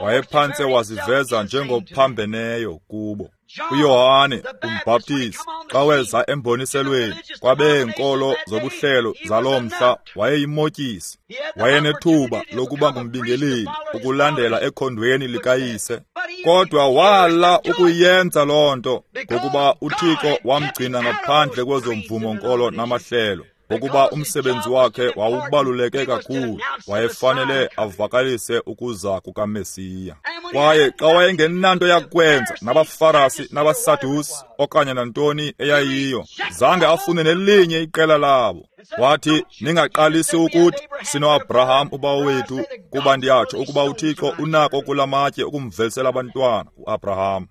[SPEAKER 1] Wayephantse waziveza njengophambeneyo kubo. uYohane umbhaptizi xa weza emboniselweni kwabeenkolo zobuhlelo zaloo mhla wayeyimotyisi. Wayenethuba lokuba ngumbingeleli ukulandela ekhondweni likayise, kodwa wala ukuyenza loo nto ngokuba uThixo wamgcina ngaphandle kwezo mvumo-nkolo namahlelo. Ngokuba umsebenzi wakhe wawubaluleke kakhulu, wayefanele avakalise ukuza kukaMesiya. Kwaye xa wayengenanto yakwenza nabaFarasi nabaSadusi okanye nantoni eyayiyo, zange afune nelinye iqela labo. Wathi, ningaqalisi ukuthi sino-Abraham ubawo wethu, kuba ndiyatsho ukuba uThixo unako kula matye ukumvelisela abantwana uAbraham.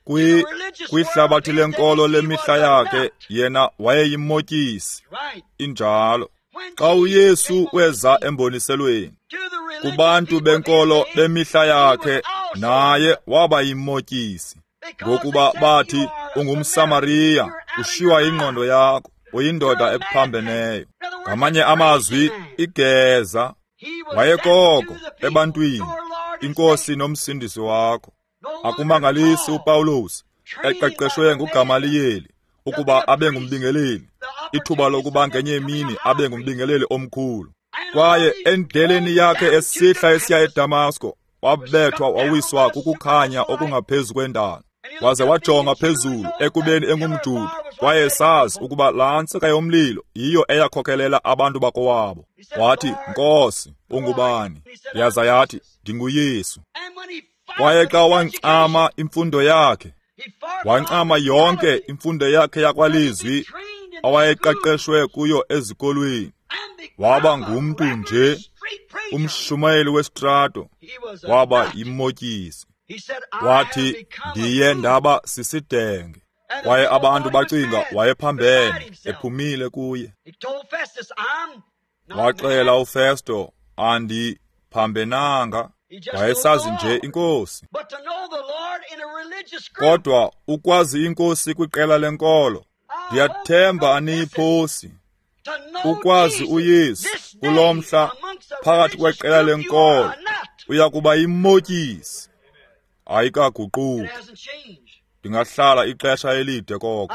[SPEAKER 1] Kwi kwihlabathi lenkolo lemihla yakhe yena wayeyimotyisi. Injalo. Xa uYesu weza emboniselweni kubantu benkolo bemihla yakhe, naye waba yimotyisi, ngokuba bathi ungumSamariya, ushiywa ingqondo yakho, uyindoda ephambeneyo. Ngamanye amazwi, igeza. Wayekoko ebantwini, iNkosi nomsindisi wakho. Akumangalisi uPawulos eqeqeshwe nguGamaliyeli ukuba abe ngumbingeleli, ithuba lokuba ngenye imini abe ngumbingeleli omkhulu. Kwaye endleleni yakhe esihla esiya eDamasko, wabethwa wawiswa kukukhanya okungaphezu kwendalo. Waze wajonga phezulu ekubeni engumJuda, kwaye sazi ukuba laa ntsika yomlilo yiyo eyakhokelela abantu bakowabo. Wathi, Nkosi, ungubani? Yaza yathi, ndinguYesu. Kwaye xa wancama imfundo yakhe, wancama yonke imfundo yakhe yakwalizwi awayeqeqeshwe kuyo ezikolweni, waba ngumntu nje, umshumayeli wesitrato, waba yimotyisi. Wathi, ndiye ndaba sisidenge. Kwaye abantu bacinga wayephambene, ephumile kuye. Waxela uFesto, andiphambenanga. Wayesazi nje iNkosi. Kodwa ukwazi iNkosi kwiqela lenkolo, ndiyathemba aniyiphosi. Ukwazi uYesu kulo mhla phakathi kweqela lenkolo, uya kuba yimotyisi. Ayikaguquki. Ndingahlala ixesha elide koko,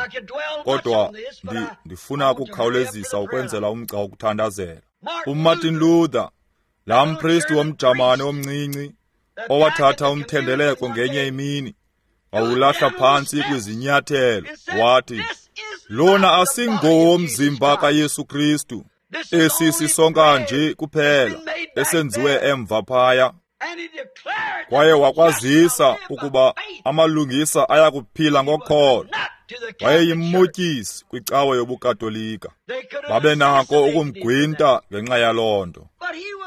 [SPEAKER 1] kodwa ndi, ndifuna ukukhawulezisa ukwenzela umgca wokuthandazela. UMartin Luther, laa mpristi womJamani omncinci owathatha umthendeleko ngenye imini, wawulahla phantsi kwizinyathelo, wathi, lona asingowomzimba kaYesu Kristu, esi sisonka nje kuphela esenziwe emva phaya. Kwaye wakwazisa ukuba amalungisa ayakuphila ngokholo. Wayeyimotyisi kwicawa yobuKatolika. Babenako ukumgwinta ngenxa yaloo nto,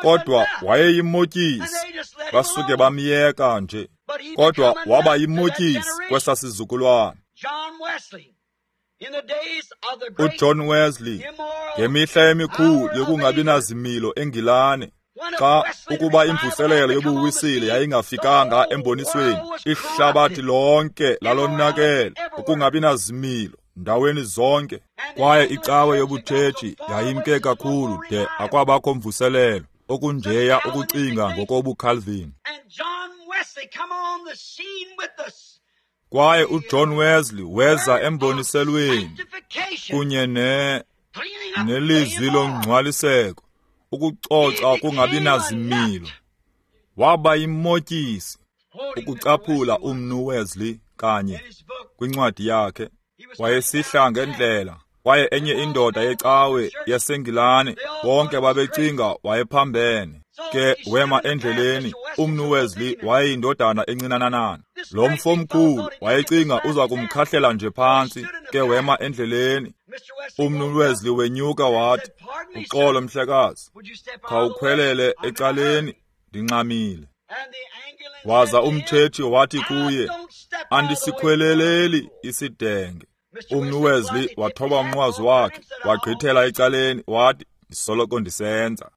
[SPEAKER 1] kodwa wayeyimotyisi, basuke bamyeka nje. Kodwa waba yimotyisi kwesa sizukulwana. UJohn Wesley, ngemihla emikhulu yokungabi nazimilo eNgilane, xa ukuba imvuselelo yobuwisile yayingafikanga embonisweni, ihlabathi lonke lalonakele ukungabi nazimilo ndaweni zonke. Kwaye icawe yobutshetshi yayimke kakhulu de akwabakho mvuselelo okunjeya ukucinga ngokobuCalvin. Kwaye uJohn Wesley weza emboniselweni kunye ne nelizwi longcwaliseko, ukucoca kungabi nazimilo. Waba yimotyisi. Ukucaphula umnu Wesley kanye kwincwadi yakhe, wayesihla ngendlela, kwaye enye indoda yecawe yaseNgilane, bonke babecinga wayephambene. Ke wema endleleni, umnu Wesley wayeyindodana encinanana. Lo mfo mkhulu wayecinga uza kumkhahlela nje phantsi, ke wema endleleni. Umnu Wesley wenyuka wathi, uxolo mhlekazi, khawukhwelele ecaleni, ndinxamile. Waza umtshetshi wathi kuye, andisikhweleleli isidenge. Umnu Wesley wathoba umnqwazi wakhe, wagqithela ecaleni, wathi, ndisoloko ndisenza.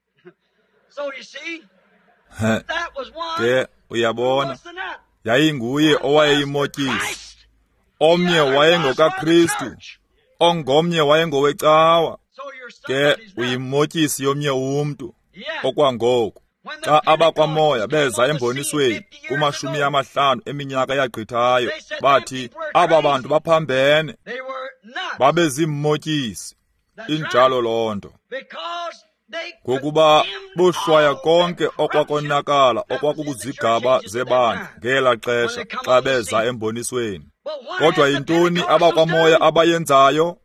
[SPEAKER 1] Ke uyabona, yayinguye owayeyimotyisi. Omnye wayengokaKristu, ongomnye wayengowecawa. Ke uyimotyisi yomnye umntu okwangoku. Xa abakwamoya beza embonisweni kumashumi amahlanu eminyaka yagqithayo, bathi aba bantu baphambene, babeziimotyisi. Injalo loo nto. Ngokuba bohlwaya konke okwakonakala okwakukuzigaba zebandla ngela xesha xa beza embonisweni. Kodwa yintoni abakwamoya abayenzayo?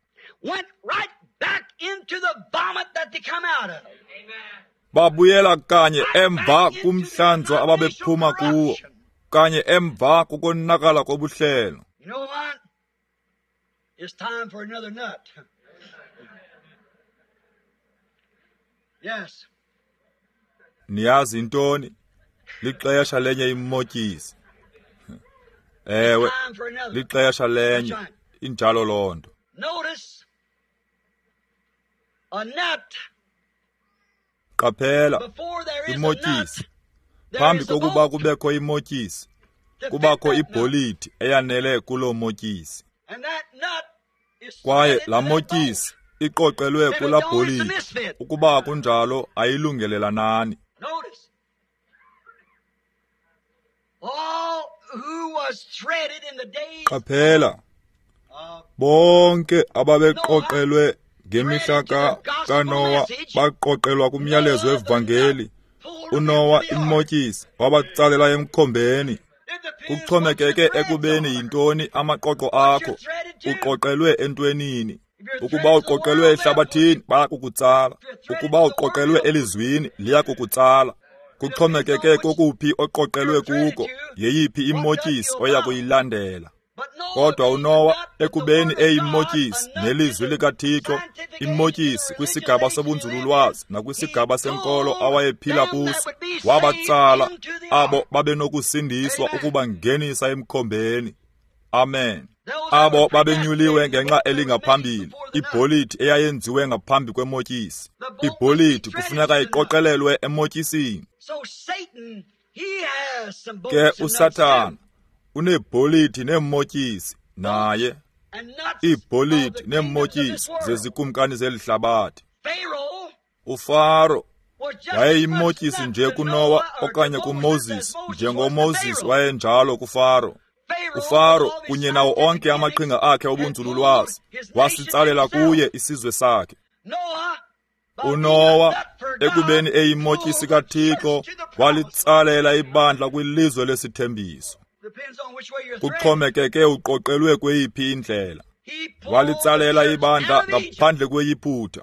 [SPEAKER 1] Babuyela kanye emva kumhlanzo ababephuma kuwo, kanye emva kukonakala kobuhlelo.
[SPEAKER 2] Yes.
[SPEAKER 1] Niyazi intoni? Lixesha lenye imotyisi. Ewe, lixesha lenye. Injalo loo nto.
[SPEAKER 2] Notice a nut.
[SPEAKER 1] Qaphela imotyisi. Phambi kokuba kubekho imotyisi, kubakho ibholiti eyanele kuloo motyisi. Kwaye laa motyisi iqoqelwe kulaa bholiti. Ukuba kunjalo ayilungelelanani. Qaphela bonke ababeqoqelwe ngemihla kaNowa baqoqelwa kumyalezo wevangeli. uNowa imotyisi wabatsalela emkhombeni. Kuxhomekeke ekubeni yintoni amaqoqo akho, uqoqelwe entwenini. Ukuba uqoqelwe ehlabathini, bayakukutsala. Ukuba uqoqelwe elizwini, liyakukutsala. Kuxhomekeke kokuphi oqoqelwe kuko, yeyiphi imotyisi oya kuyilandela. Kodwa uNowa ekubeni eyimotyisi nelizwi likaThixo, imotyisi kwisigaba sobunzululwazi nakwisigaba senkolo awayephila kuso, wabatsala abo babenokusindiswa ukubangenisa emkhombeni. Amen. Abo babenyuliwe ngenxa elingaphambili, ibholiti eyayenziwe ngaphambi kwemotyisi. Ibholiti kufuneka iqoqelelwe emotyisini. Ke uSathana uneebholiti neemotyisi naye, iibholiti neemotyisi zezikumkani zeli hlabathi. UFaro wayeyimotyisi nje kuNowa okanye kuMoses, njengoMoses wayenjalo kuFaro. UFaro kunye nawo onke amaqhinga akhe obunzululwazi wasitsalela kuye isizwe sakhe. uNowa ekubeni eyimotyisi kaThixo walitsalela ibandla kwilizwe lesithembiso. Kuxhomekeke uqoqelwe kweyiphi indlela. Walitsalela ibandla ngaphandle kweyiphutha,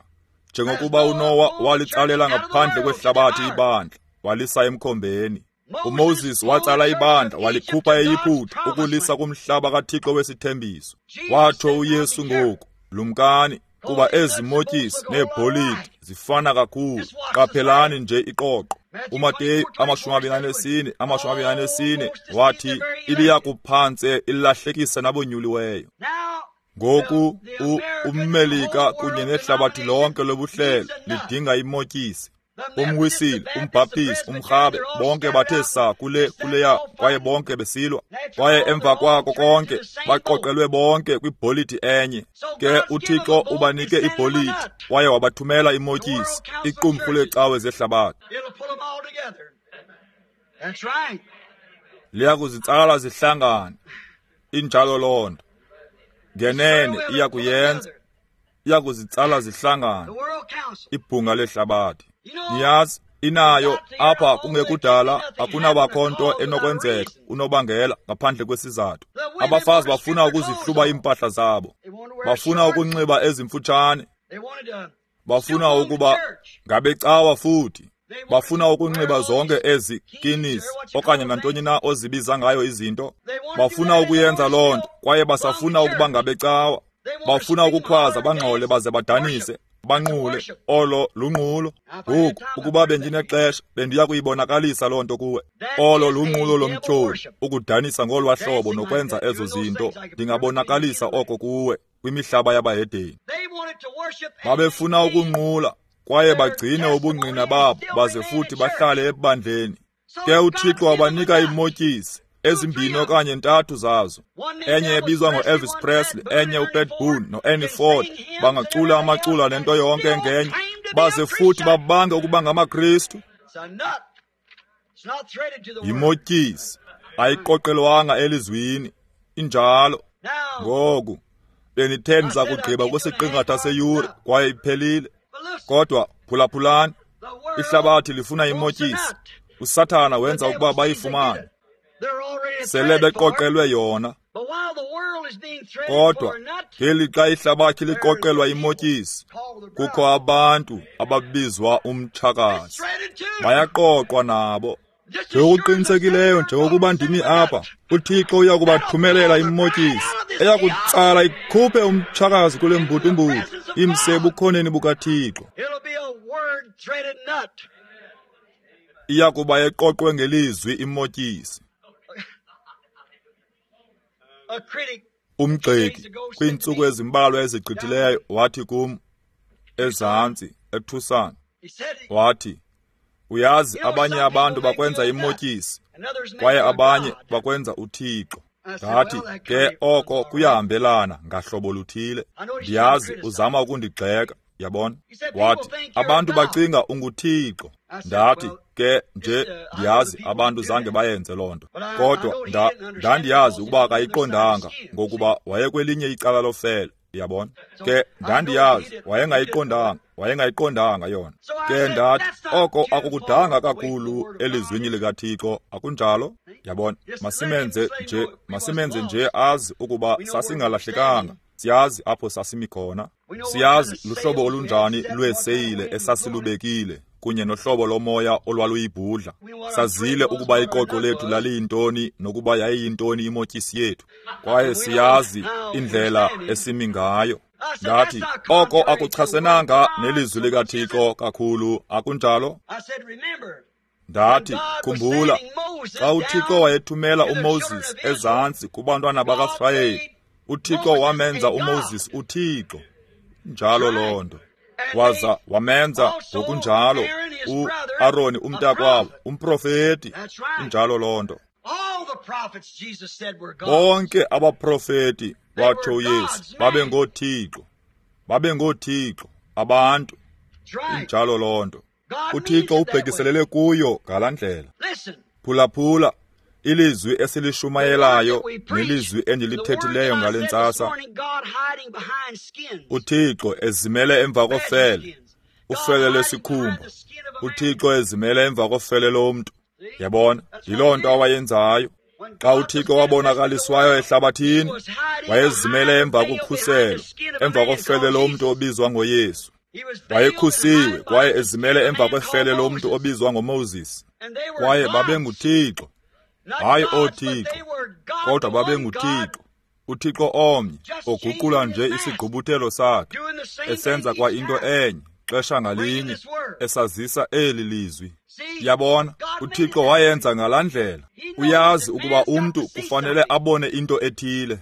[SPEAKER 1] njengokuba uNowa walitsalela ngaphandle kwehlabathi ibandla, walisa emkhombeni. uMoses watsala ibandla walikhupha eYiphutha ukulisa kumhlaba kaThixo wesithembiso. Watsho uYesu ngoku, lumkani, kuba ezi motyisi neebholiti zifana kakhulu. Qaphelani nje iqoqo. uMateyu amashumi amabini anesine amashumi amabini anesine wathi ibiya kuphantse ilahlekisa nabonyuliweyo. Ngoku ummelika kunye nehlabathi lonke lobuhlelo lidinga imotyisi. Umwisile, umbhaptizi, umrhabe, bonke bathe saa kule kuleya, kwaye bonke besilwa. Kwaye emva kwako konke baqoqelwe bonke kwibholiti enye. Ke uThixo ubanike ibholiti kwaye wabathumela imotyisi, iqumrhu leecawe zehlabathi. Liya kuzitsala zihlangane. Injalo loo nto. Ngenene iya kuyenza. Iya kuzitsala zihlangane. Ibhunga lehlabathi. Niyazi, inayo apha kungekudala akunabakho nto enokwenzeka unobangela ngaphandle kwesizathu. Abafazi bafuna ukuzihluba iimpahla zabo, bafuna ukunxiba ezimfutshane, bafuna ukuba ngabecawa futhi, bafuna ukunxiba zonke ezi kinis okanye nantoni na ozibiza ngayo izinto. Bafuna ukuyenza loo nto kwaye basafuna ukuba ngabecawa. Bafuna ukukhwaza bangxole baze badanise, banqule. Olo lunqulo. Ngoku ukuba bendinexesha bendiya kuyibonakalisa loo nto kuwe. Olo lunqulo lomtyholi, ukudanisa ngolwa hlobo nokwenza ezo zinto. Ndingabonakalisa oko kuwe kwimihlaba yabahedeni. Babefuna ukunqula kwaye bagcine ubungqina babo baze futhi bahlale ebandleni. Ke uThixo wabanika iimotyisi ezimbini okanye ntathu zazo, enye ebizwa ngo-Elvis Presley, enye uPat Boone no-Ernie Ford. Bangacula amacula nento yonke ngenye, baze futhi babange ukuba ngamaKristu. Yimotyisi, ayiqoqelwanga elizwini. Injalo. Ngoku bendithe ndiza kugqiba kwisiqingatha seyure kwaye iphelile. Kodwa phulaphulani, ihlabathi lifuna imotyisi. USathana wenza ukuba bayifumane. Sele beqoqelwe yona. Kodwa ngelixa ihlabathi liqoqelwa imotyisi, kukho abantu ababizwa umtshakazi. Bayaqoqwa nabo. Njengokuqinisekileyo njengokuba ndimi apha, uThixo uya kubathumelela imotyisi eya kutsala ikhuphe umtshakazi kule mbutumbutu, imse ebukhoneni bukaThixo. Iya kuba eqoqwe ngelizwi imotyisi. Umgxeki kwiintsuku ezimbalwa ezigqithileyo wathi kum ezantsi eTucson, wathi, uyazi abanye abantu bakwenza imotyisi kwaye abanye bakwenza uThixo. Ndathi, ke oko kuyahambelana ngahlobo luthile. Ndiyazi uzama ukundigxeka, yabona. Wathi, abantu bacinga unguThixo. Ndathi, ke nje ndiyazi abantu zange bayenze loo nto. Kodwa nda, ndandiyazi ukuba akayiqondanga ngokuba wayekwelinye icala lofele, yabona. Ke ndandiyazi wayengayiqondanga, wayengayiqondanga yona. Ke ndathi, oko akukudanga kakhulu elizwini likaThixo, akunjalo? Yabona, masimenze nje, masimenze nje azi ukuba sasingalahlekanga. Siyazi apho sasimi khona. Siyazi luhlobo olunjani lweeseyile esasilubekile kunye nohlobo lomoya olwaluyibhudla. Sazile ukuba iqoqo lethu laliyintoni nokuba yayiyintoni imotyisi yethu. Kwaye siyazi indlela esimi ngayo. Ndathi, oko akuchasenanga nelizwi likaThixo kakhulu, akunjalo? Ndathi, khumbula, xa uThixo wayethumela uMoses ezantsi kubantwana bakaSirayeli, uThixo wamenza uMoses uThixo. Njalo loo nto. Waza wamenza ngokunjalo uAroni umntakwabo, umprofeti. Injalo loo nto. Bonke abaprofeti, watsho uYesu, babe ngoothixo. Babe ngoothixo, abantu. Injalo loo nto. UThixo ubhekiselele kuyo ngalaa ndlela. Phulaphula ilizwi esilishumayelayo nelizwi endilithethileyo ngale ntsasa. UThixo ezimele emva kofele, ufele lesikhumba. UThixo ezimele emva kofele lomntu. Yabona, yiloo nto awayenzayo. Xa uThixo wabonakaliswayo ehlabathini, wayezimele emva kokhuselo, emva kofele lomntu obizwa ngoYesu. Wayekhusiwe kwaye ezimele emva kwefele lomntu obizwa ngoMoses. Kwaye babenguThixo. Hayi ooThixo, kodwa babenguThixo. uThixo omnye oguqula nje isigqubuthelo sakhe, esenza kwa into enye xesha ngalinye, esazisa eli lizwi. Yabona, uThixo wayenza ngalaa ndlela. Uyazi ukuba umntu kufanele abone into ethile.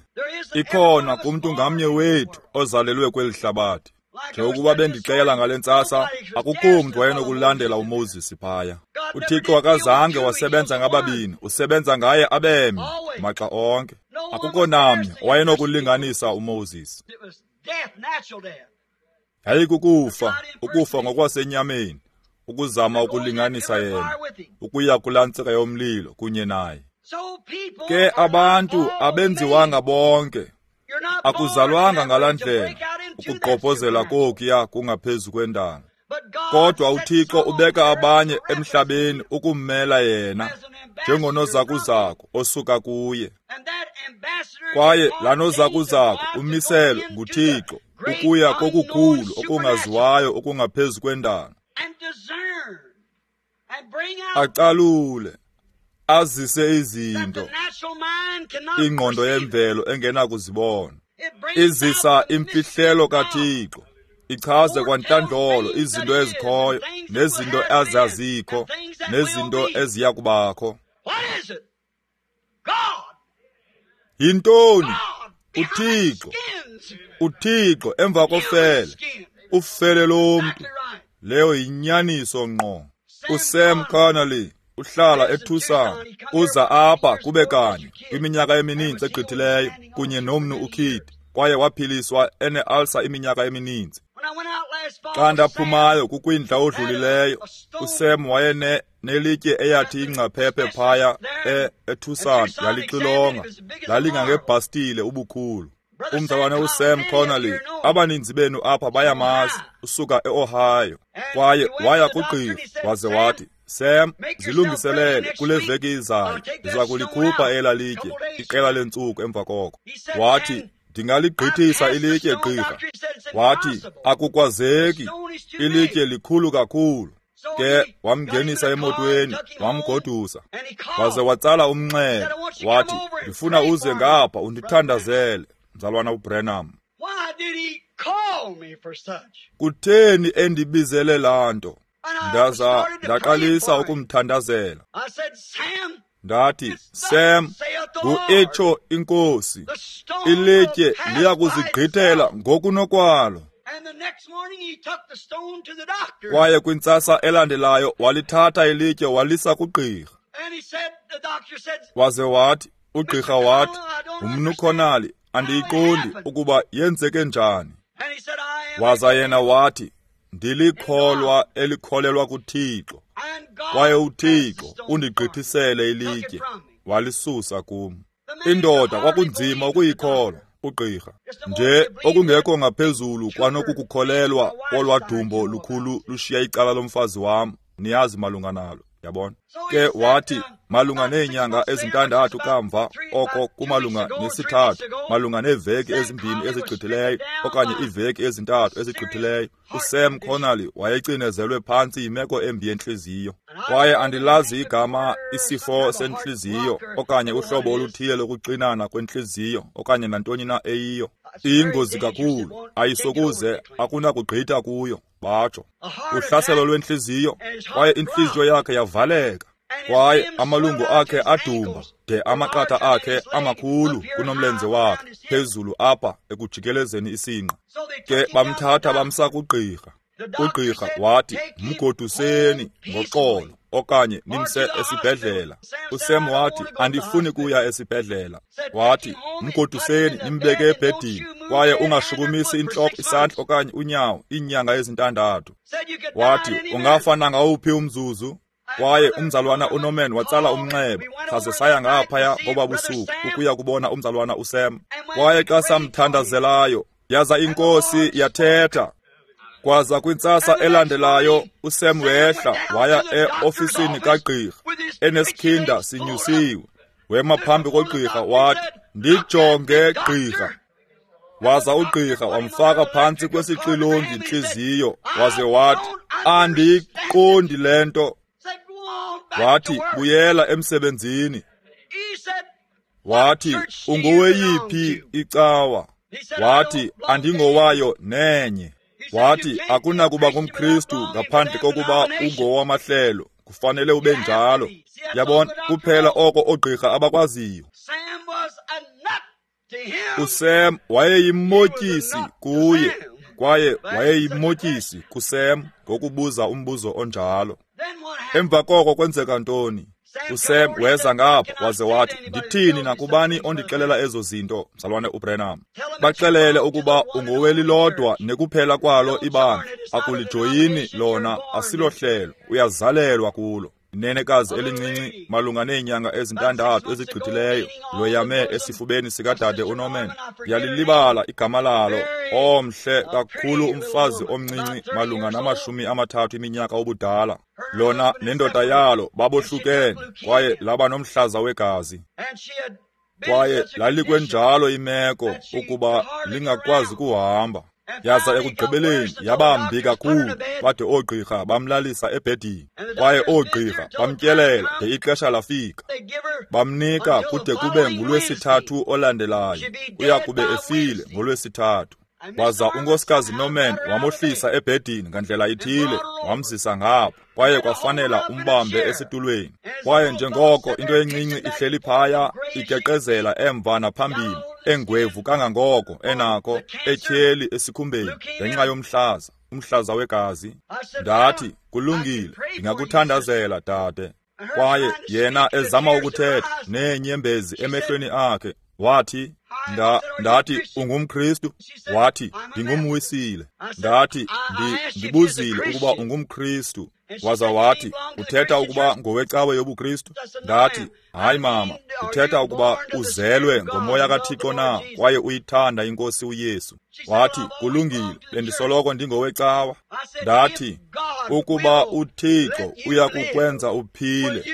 [SPEAKER 1] Ikhona kumntu ngamnye wethu ozalelwe kweli hlabathi. Njengokuba bendixela ngale ntsasa, akukho mntu wayenokulandela uMoses phaya. UThixo akazange wasebenza ngababini, usebenza ngaye abemnye maxa onke. Akukho namnye owayenokulinganisa uMoses. Yayikukufa, ukufa ngokwasenyameni, ukuzama ukulinganisa yena, ukuya kulaa ntsika yomlilo kunye naye. Ke abantu abenziwanga bonke, akuzalwanga ngalaa ndlela, ukugqobhozela kokuya kungaphezu kwendalo. Kodwa uThixo ubeka abanye emhlabeni ukummela yena njengonozakuzaku osuka kuye. Kwaye laa nozakuzaku umiselwe nguThixo ukuya kokukhulu okungaziwayo okungaphezu kwendalo. Acalule, azise izinto ingqondo yemvelo engenakuzibona. Izisa imfihlelo kaThixo, ichaze kwantlandlolo izinto ezikhoyo nezinto ezazikho nezinto eziya kubakho. Yintoni? UThixo. UThixo emva kofele, ufele lomntu. Leyo yinyaniso ngqo. USam Connolly uhlala eTucson, uza apha kube kanye kwiminyaka emininzi egqithileyo kunye nomnu uKid, kwaye waphiliswa ene-ulcer iminyaka emininzi. Xa ndaphumayo kukwindla odlulileyo, uSam wayene nelitye eyathi ingcaphephe phaya e eTucson yalixilonga, lalingangebhastile ubukhulu. Umzalwane uSam Connolly, abaninzi benu apha bayamazi, usuka eOhio, kwaye waya kugqirha waze wathi, Sam, zilungiselele kule veki izayo, ndiza kulikhupha ela litye, iqela leentsuku emva koko. Wathi, ndingaligqithisa ilitye gqirha. Wathi, akukwazeki, ilitye likhulu kakhulu. Ke wamngenisa emotweni, wamgodusa, waze watsala umnxeba, wathi, ndifuna uze ngapha undithandazele, mzalwana uBranham. Kutheni endibizele laa nto? Ndaza ndaqalisa ukumthandazela. Ndathi, Sam, ngu-itsho inkosi, ilitye liya kuzigqithela ngokunokwalo. Kwaye kwintsasa elandelayo walithatha ilitye walisa kugqirha. Waze wathi, ugqirha wathi, umnu Connolly, andiyiqondi ukuba yenzeke njani. Waza yena wathi, ndilikholwa elikholelwa kuThixo, kwaye uThixo undigqithisele ilitye, walisusa kum. Indoda kwakunzima ukuyikholwa, ugqirha, nje okungekho ngaphezulu kwanokukukholelwa kolwadumbo lukhulu lushiya icala lomfazi wam, niyazi malunga nalo, yabona. Ke wathi, malunga neenyanga ezintandathu kamva, oko kumalunga nesithathu, malunga neeveki ezimbini ezigqithileyo okanye iiveki ezintathu ezigqithileyo, uSam Connolly wayecinezelwe phantsi yimeko embi yentliziyo. Kwaye andilazi igama isifo sentliziyo okanye uhlobo oluthile lokuxinana kwentliziyo okanye nantoni na eyiyo. Iyingozi kakhulu, ayisokuze akunakugqitha kuyo, batsho. Uhlaselo lwentliziyo, kwaye intliziyo yakhe yavaleka, kwaye amalungu akhe adumba de amaqatha akhe amakhulu kunomlenze wakhe phezulu apha ekujikelezeni isinqa. Ke bamthatha bamsa kugqirha. Ugqirha wathi, mgoduseni ngoxolo okanye nimse esibhedlela. uSam wathi, andifuni kuya esibhedlela. Wathi, mgoduseni nimbeke ebhedini, kwaye ungashukumisi intloko, isandla okanye unyawo iinyanga ezintandathu. Wathi, ungafa nangawuphi umzuzu. Kwaye umzalwana uNorman watsala umnxeba, saze saya ngaphaya ngoba busuku ukuya kubona umzalwana uSam. Kwaye xa samthandazelayo, yaza inkosi yathetha. Kwaza kwintsasa elandelayo uSam wehla waya eofisini kagqirha enesikhinda sinyusiwe. Wema phambi kogqirha wathi, ndijonge gqirha. Waza ugqirha wamfaka phantsi kwesixilongi intliziyo, waze wathi, andiyiqondi le nto. Wathi, buyela emsebenzini. Wathi, ungoweyiphi icawa? Wathi, andingowayo nenye. Wathi, akunakuba ngumKristu ngaphandle kokuba ungowamahlelo, kufanele ube njalo. Yabona, kuphela oko oogqirha abakwaziyo. USam wayeyimotyisi kuye, kwaye wayeyimotyisi kuSam ngokubuza umbuzo onjalo. Emva koko kwenzeka ntoni? uSam weza ngapha waze wathi, ndithini nakubani ondixelela ezo zinto, mzalwane uBranham? Baxelele ukuba ungowelilodwa nekuphela kwalo ibandla, akulijoyini lona, asilohlelo, uyazalelwa kulo. Inenekazi elincinci malunga neenyanga ezintandathu ezigqithileyo loyame esifubeni sikadade uNorman. Ndiyalilibala igama lalo, omhle kakhulu umfazi omncinci malunga namashumi amathathu iminyaka ubudala. Lona nendoda yalo babohlukene, kwaye laba nomhlaza wegazi. Kwaye lalikwenjalo imeko ukuba lingakwazi kuhamba. Yaza ekugqibeleni yabambi kakhulu, bade oogqirha bamlalisa ebhedini. Kwaye oogqirha bamtyelela de ixesha lafika. Bamnika kude kube ngulwesithathu olandelayo, uya kube efile ngolwesithathu. Waza unkosikazi Norman wamohlisa ebhedini ngandlela ithile, wamzisa ngapha, kwaye kwafanela umbambe esitulweni. Kwaye njengoko into encinci ihleli phaya igeqezela emva naphambili, engwevu kangangoko enako, etyheli esikhumbeni ngenxa yomhlaza, umhlaza wegazi. Ndathi, kulungile, ndingakuthandazela dade. Kwaye yena ezama ukuthetha neenyembezi emehlweni akhe, wathi, Nda, ndathi, ungumKristu? Wathi, ndingumwisile. Ndathi, ndibuzile ukuba ungumKristu. Waza wathi, uthetha ukuba ngowecawe yobuKristu? Ndathi, hayi mama, uthetha ukuba uzelwe ngomoya kaThixo na kwaye uyithanda iNkosi uYesu. Wathi, kulungile, bendisoloko ndingowecawa. Ndathi, ukuba uThixo uyakukwenza uphile,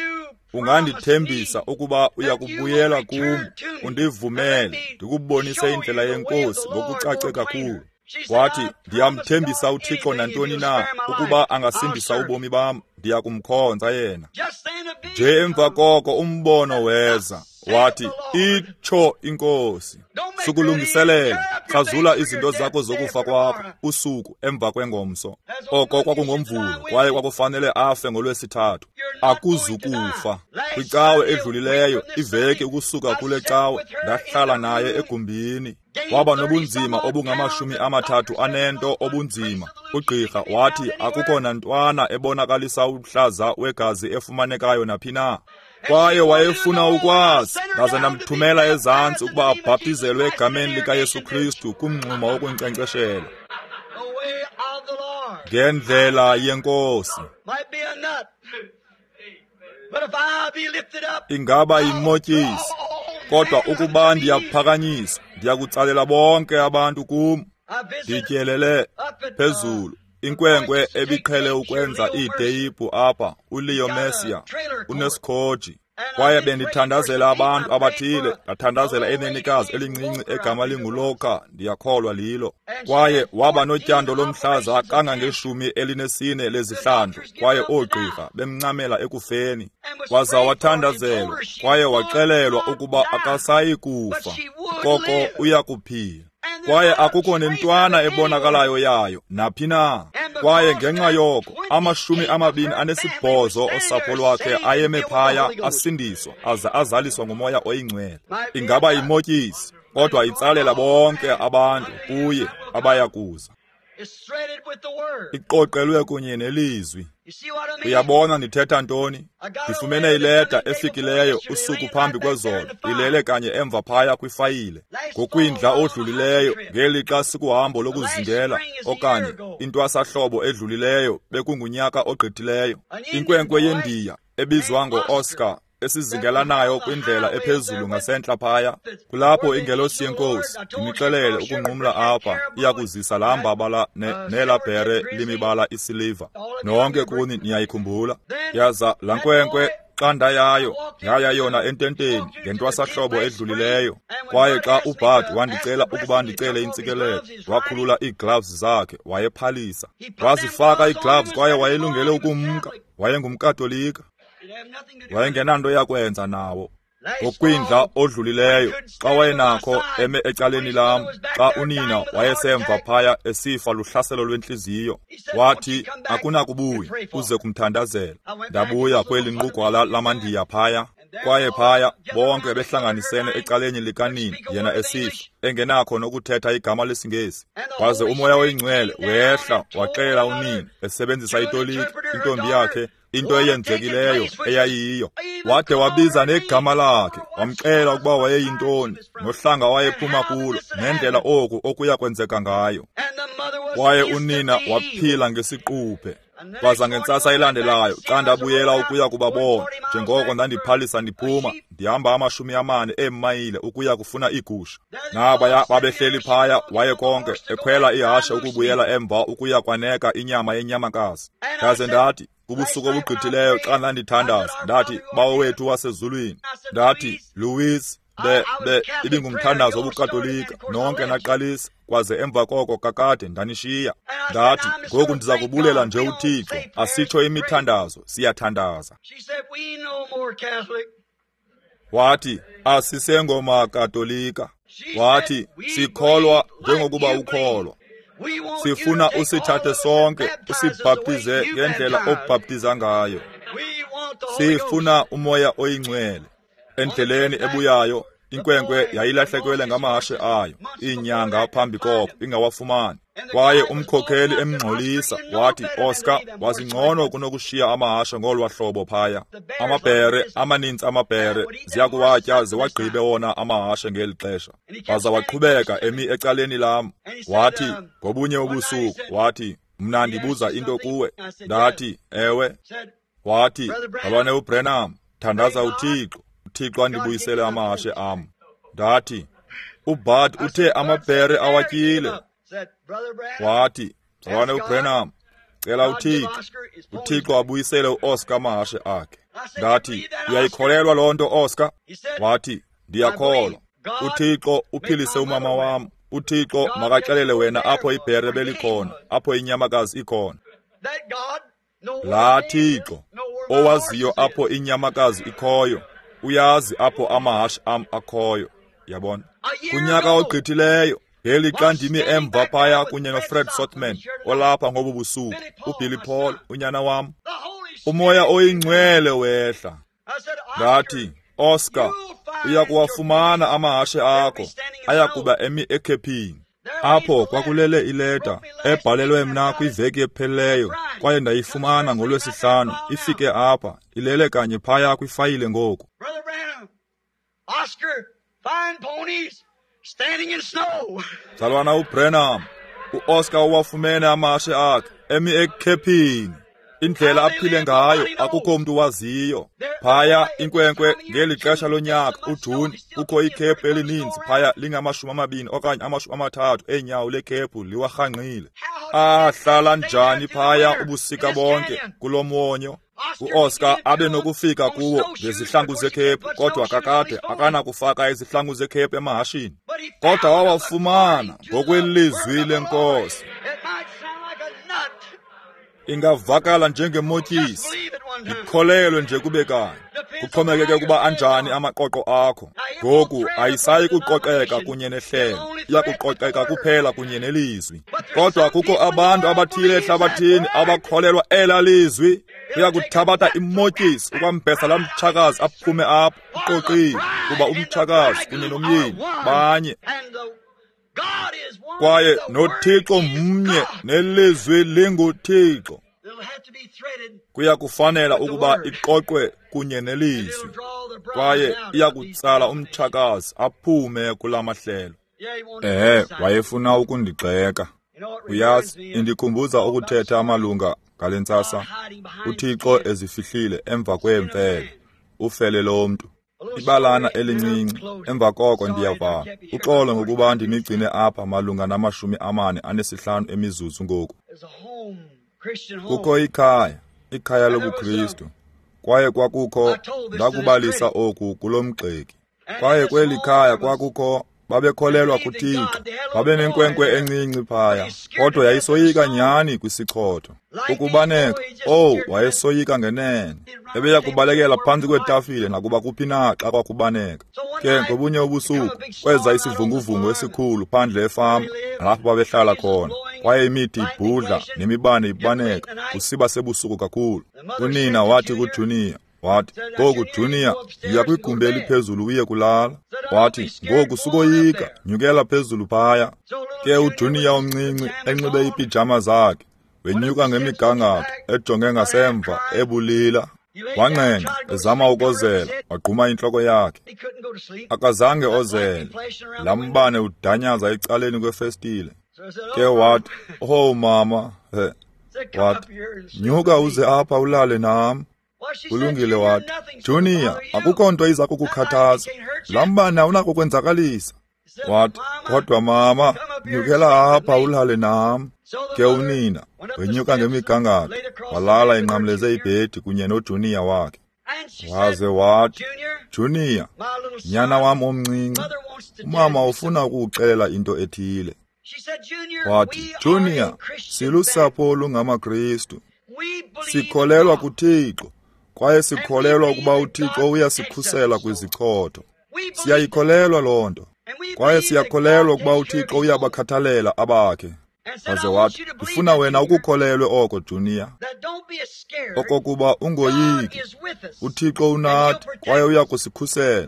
[SPEAKER 1] ungandithembisa ukuba uyakubuyela kum, undivumele ndikubonise indlela yeNkosi ngokucace kakhulu. Wathi, ndiyamthembisa uThixo nantoni na, ukuba angasindisa ubomi bam, ndiyakumkhonza yena. Nje emva koko umbono weza. Wathi, itsho iNkosi, sukulungiselela, krazula izinto zakho zokufa kwakho, usuku emva kwengomso. Oko kwakungoMvulo, kwaye kwakufanele afe ngoLwesithathu. Akuzukufa. Kwicawe edlulileyo, iveki ukusuka kule cawe, ndahlala naye egumbini. Waba nobunzima obungamashumi amathathu anento obunzima. Ugqirha wathi akukho nantwana ebonakalisa uhlaza wegazi efumanekayo naphi na. Kwaye wayefuna ukwazi, ndaze ndamthumela ezantsi ukuba abhaptizelwe egameni likaYesu Kristu kumngxuma wokunkcenkceshela. Ngendlela yeNkosi. Ingaba yimotyisi, kodwa ukuba ndiyaphakanyiswa, ndiyakutsalela bonke abantu kum. Ndityelele phezulu inkwenkwe ebiqhele ukwenza iiteyipu apha, uLeo Messia, unesikhoji. Kwaye bendithandazela abantu abathile, ndathandazela enenikazi elincinci egama linguLoka, ndiyakholwa lilo. Kwaye waba notyando lomhlaza kangangeshumi elinesine lezihlandlo, kwaye oogqirha bemncamela ekufeni. Waza wathandazelwa, kwaye waxelelwa ukuba akasayi kufa, koko uyakuphila. Kwaye akukho nentwana ebonakalayo yayo naphi na. Kwaye ngenxa yoko amashumi amabini anesibhozo osapho lwakhe ayeme phaya asindiswa aza azaliswa ngumoya oyingcwele. Ingaba yimotyisi, kodwa itsalela bonke abantu kuye abaya kuza. Iqoqelwe kunye nelizwi. Uyabona ndithetha ntoni? Ndifumene ileta efikileyo usuku phambi kwezolo, ilele kanye emva phaya kwifayile. Ngokwindla odlulileyo, ngelixa sikuhambo lokuzingela, okanye intwasahlobo edlulileyo, bekungunyaka ogqithileyo. Inkwenkwe yeNdiya ebizwa ngo-Oscar, esizingelanayo kwindlela ephezulu ngasentla phaya, kulapho ingelosi yeNkosi ndinixelele ukunqumla apha iyakuzisa laa mbabala nela bhere limibala isiliva. Nonke kuni niyayikhumbula. Yaza laa nkwenkwe xa ndayayo, yaya yona ententeni ngentwasahlobo edlulileyo. Kwaye xa uBart wandicela ukuba ndicele intsikelelo, wakhulula iigloves zakhe, wayephalisa. Wazifaka iigloves kwaye wayelungele ukumka. WayengumKatolika. Wayengenanto yakwenza nawo. Ngokwindla odlulileyo, xa wayenakho eme ecaleni lam, xa unina wayesemva phaya esifa luhlaselo lwentliziyo, wathi akunakubuya uze kumthandazela. Ndabuya kweli nqugwala lamandiya phaya, kwaye phaya bonke behlanganisene ecaleni likanina, yena esifa engenakho nokuthetha igama lesiNgesi. Waze umoya oyingcwele wehla waxelela unina esebenzisa itoliki intombi yakhe into eyenzekileyo eyayiyo. Wade wabiza negama lakhe, wamxela ukuba wayeyintoni, nohlanga wayephuma kulo, nendlela oku okuya kwenzeka ngayo. Kwaye unina waphila ngesiquphe. Kwaza ngentsasa elandelayo, xa ndabuyela ukuya kubabona, njengoko ndandiphalisa ndiphuma, ndihamba amashumi amane eemayile ukuya kufuna iigusha. Nabaya babehleli phaya, waye konke ekhwela ihashe ukubuyela emva ukuya kwaneka inyama yenyamakazi. Ndaze ndathi, kubusuku obugqithileyo xa ndandithandaza, ndathi, Bawo wethu wasezulwini, ndathi, Louis, be be ibingumthandazo wobuKatolika, nonke naqalisa, kwaze emva koko kakade ndanishiya. Ndathi, ngoku ndiza kubulela nje uThixo, asitsho imithandazo, siyathandaza. Wathi, asisengomakatolika. Wathi, sikholwa njengokuba ukholwa. Sifuna usithathe sonke, usibhaptize ngendlela obhaptiza ngayo. Sifuna umoya oyingcwele. Endleleni ebuyayo, inkwenkwe yayilahlekelwe ngamahashe ayo, iinyanga phambi koko ingawafumani. Kwaye umkhokheli emngxolisa wathi, Oscar, wazingcono kunokushiya amahashe ngolwa hlobo phaya. Amabhere, amaninzi amabhere, ziyakuwatya ziwagqibe wona amahashe ngeli xesha. Waza waqhubeka emi ecaleni lam. Wathi, ngobunye ubusuku, wathi, mna ndibuza into kuwe. Ndathi, ewe. Wathi, Mzalwane uBranham, thandaza uThixo, uThixo andibuyisele amahashe am. Ndathi, uBud uthe amabhere awatyile. Wathi, Mzalwane uBranham, cela uThixo, uThixo abuyisele uOscar amahashe akhe. Ndathi, uyayikholelwa loo nto, Oscar? Wathi, ndiyakholwa. uThixo uphilise umama wam. uThixo makaxelele wena apho ibhere belikhona, apho inyamakazi ikhona. Laa Thixo owaziyo apho inyamakazi ikhoyo, uyazi apho amahashe am akhoyo. Yabona? Kunyaka ogqithileyo, ngelixa ndimi emva phaya kunye noFred Sotman olapha ngobu busuku, uBilly Paul unyana wam, uMoya oyiNgcwele wehla. Ndathi, Oscar, uya kuwafumana amahashe akho, ayakuba emi ekhephini. Apho kwakulele ileta ebhalelwe mna kwiveki ephelileyo, kwaye ndayifumana ngolwesihlanu. Ifike apha, ilele kanye phaya kwifayile ngoku. Mzalwana uBranham, uOscar uwafumene amahashe akhe emi ekhephini. Indlela aphile ngayo akukho mntu waziyo. Phaya inkwenkwe ngeli xesha lonyaka uJuni, kukho ikhephu elininzi phaya lingamashumi amabini okanye amashumi amathathu eenyawo lekhephu liwarhangqile. Ahlala njani phaya ubusika bonke kulo mwonyo? UOscar abe nokufika kuwo ngezihlangu zekhephu, kodwa kakade akanakufaka izihlangu zekhephu emahashini. Kodwa wawafumana ngokwelizwi lenkosi. Ingavakala njengemotyisi, ikholelwe nje kube kanye. Kuxhomekeke ukuba anjani amaqoqo akho. Ngoku ayisayi kuqoqeka kunye nehlelo, iyakuqoqeka kuphela kunye nelizwi. Kodwa kukho abantu abathile ehlabathini abakholelwa ela lizwi. Uyakuthabatha imotyisi ukwambesa laa mtshakazi aphume apho uqoqile, kuba umtshakazi kunye nomyeni banye. Kwaye noThixo mnye, nelizwi linguThixo. Kuya kufanela ukuba iqoqwe kunye nelizwi, kwaye iyakutsala umtshakazi aphume kula mahlelo. Ehe, wayefuna ukundigxeka. Uyazi, indikhumbuza ukuthetha amalunga ngale ntsasa. uThixo ezifihlile emva kweemfele, ufele lomntu. Ibalana elincinci, emva koko ndiyavala. Uxolo ngokuba ndinigcine apha malunga namashumi amane anesihlanu emizuzu ngoku. Kukho ikhaya, ikhaya lobuKristu. Kwaye kwakukho, ndakubalisa oku kulo mgxeki. Kwaye kweli khaya kwakukho, babekholelwa kuThixo. Babenenkwenkwe encinci phaya, kodwa yayisoyika nyhani kwisichotho. Ukubaneka, oh, wayesoyika ngenene. Ebeya kubalekela phantsi kwetafile nakuba kuphi na xa kwakubaneka. Ke ngobunye ubusuku kweza isivunguvungu esikhulu phandle efama lapho babehlala khona, kwaye imithi ibhudla nemibane ibaneka, kusiba sebusuku kakhulu. Unina wathi kuJunior, wathi, ngoku Junior, yiya kwigumbi eliphezulu uye kulala. Wathi, ngoku sukoyika, nyukela phezulu phaya. Ke uJunior omncinci enxibe iipijama zakhe, wenyuka ngemigangatho ejonge ngasemva ebulila. Wanqenqa ezama ukozela, wagquma intloko yakhe. Akazange ozele. Laa mbane udanyaza ecaleni kwefestile. Ke wathi, oh mama, he. Wathi, nyuka uze apha ulale nam. Kulungile, wathi, Junior, akukho nto iza kukukhathaza. Laa mbane awunakukwenzakalisa. Wathi, kodwa mama, nyukela apha ulale nam. Ke unina wenyuka ngemigangatho, walala enqamleze ibhedi kunye noJunior wakhe. Waze wathi, Junior, nyana wam omncinci, umama ufuna ukukuxelela into ethile. Wathi, Junior, silusapho olungamaKristu. Sikholelwa kuThixo, kwaye sikholelwa ukuba uThixo uyasikhusela kwizichotho. Siyayikholelwa loo nto, kwaye siyakholelwa ukuba uThixo uyabakhathalela abakhe. Waze wathi, ndifuna wena ukukholelwe oko, Junior, okokuba ungoyiki. uThixo unathi kwaye uyakusikhusela.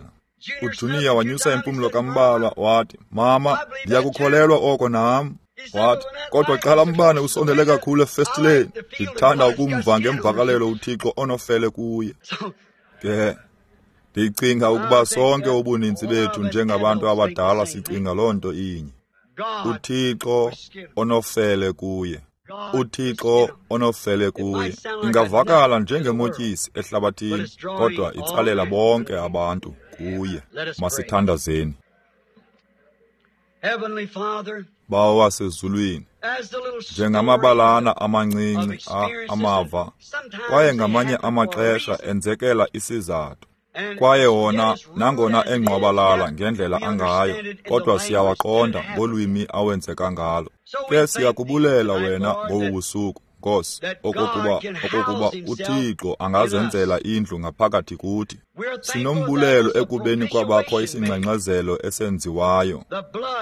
[SPEAKER 1] uJunior wanyusa impumlo kambalwa wathi, mama, ndiyakukholelwa oko nam. Wathi, kodwa xa laa mbane usondele kakhulu efestileni, ndithanda ukumva ngemvakalelo uThixo onofele kuye. Ke ndicinga ukuba sonke ubuninzi bethu njengabantu abadala sicinga loo nto inye. UThixo onofele kuye. UThixo onofele kuye. Ingavakala njengemotyisi ehlabathini, kodwa itsalela bonke abantu kuye. Masithandazeni. Bawo wasezulwini, njengamabalana amancinci amava, kwaye ngamanye amaxesha enzekela isizathu. Kwaye wona nangona engqwabalala ngendlela angayo, kodwa siyawaqonda ngolwimi awenzeka ngalo. Ke siyakubulela wena ngobu busuku, Nkosi, okokuba okokuba uThixo angazenzela indlu ngaphakathi kuthi. Sinombulelo ekubeni kwabakho isingxengxezelo esenziwayo,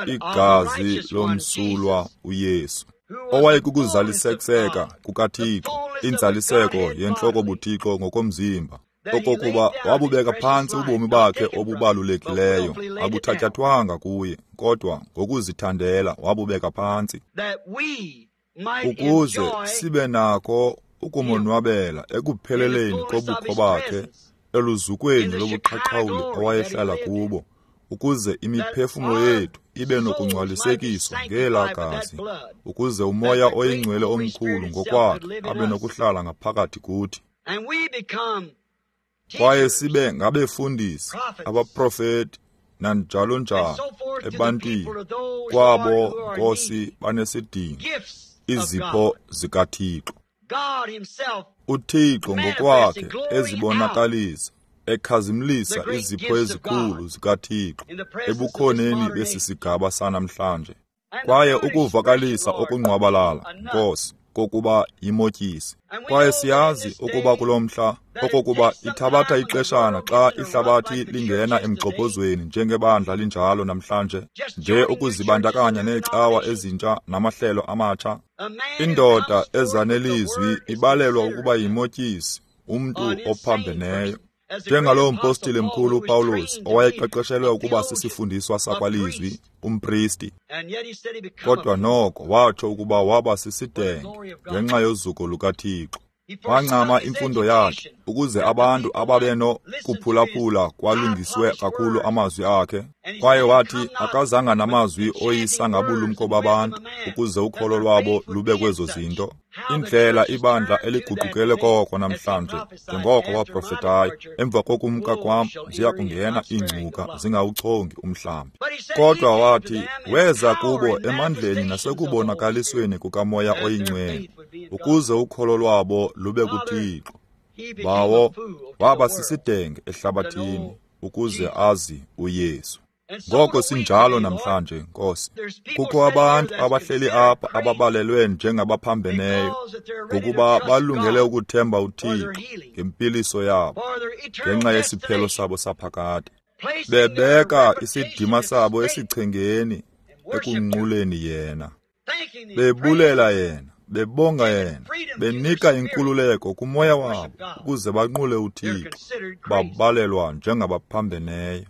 [SPEAKER 1] igazi lomsulwa uYesu, owayekukuzalisekiseka kukaThixo, inzaliseko yentloko buThixo ngokomzimba, okokuba wabubeka phantsi ubomi bakhe obubalulekileyo, abuthatyathwanga kuye, kodwa ngokuzithandela wabubeka phantsi, ukuze sibe nako ukumonwabela ekupheleleni kobukho bakhe, eluzukweni lobuqhaqhawuli awayehlala kubo, ukuze imiphefumlo yethu ibe nokungcwalisekiswa ngelaa gazi, ukuze uMoya oyiNgcwele omkhulu ngokwakhe abe nokuhlala ngaphakathi kuthi. Kwaye sibe ngabefundisi, abaprofeti, nanjalo njalo ebantwini, kwabo Nkosi banesidingo, izipho zikaThixo. UThixo ngokwakhe ezibonakalisa, ekhazimlisa izipho ezikhulu zikaThixo ebukhoneni besi sigaba sanamhlanje. Kwaye ukuvakalisa okungqwabalala, Nkosi, kokuba yimotyisi. Kwaye siyazi ukuba kulo mhla, okokuba ithabatha ixeshana xa ihlabathi lingena emgxobhozweni njengebandla linjalo namhlanje, nje ukuzibandakanya neecawa ezintsha namahlelo amatsha. Indoda ezanelizwi ibalelwa ukuba yimotyisi, umntu ophambeneyo. Njengaloo mpostile mkhulu uPawulos owayeqeqeshelwe ukuba sisifundiswa sakwalizwi, umpristi, kodwa noko watsho ukuba waba sisidenge ngenxa yozuko lukaThixo. Wancama imfundo yakhe ukuze abantu ababenokuphulaphula kwalungiswe kakhulu amazwi akhe. Kwaye wathi akazanga namazwi oyisa ngabulumko babantu ukuze ukholo lwabo lube kwezo zinto. Indlela ibandla eliguqukele koko namhlanje, njengoko waprofetayo, emva kokumka kwam ziya kungena iingcuka zingawuchongi umhlambi. Kodwa wathi weza kubo emandleni nasekubonakalisweni kukaMoya oyiNgcwele, ukuze ukholo lwabo lube kuThixo. Bawo waba sisidenge ehlabathini ukuze azi uYesu. Ngoko sinjalo namhlanje, Nkosi. Kukho abantu abahleli apha ababalelwe njengabaphambeneyo, ngokuba balungele ukuthemba uThixo ngempiliso yabo, ngenxa yesiphelo sabo saphakade. Bebeka isidima sabo esichengeni ekunquleni yena, bebulela yena, bebonga yena, benika inkululeko kumoya wabo ukuze banqule uThixo, babalelwa njengabaphambeneyo.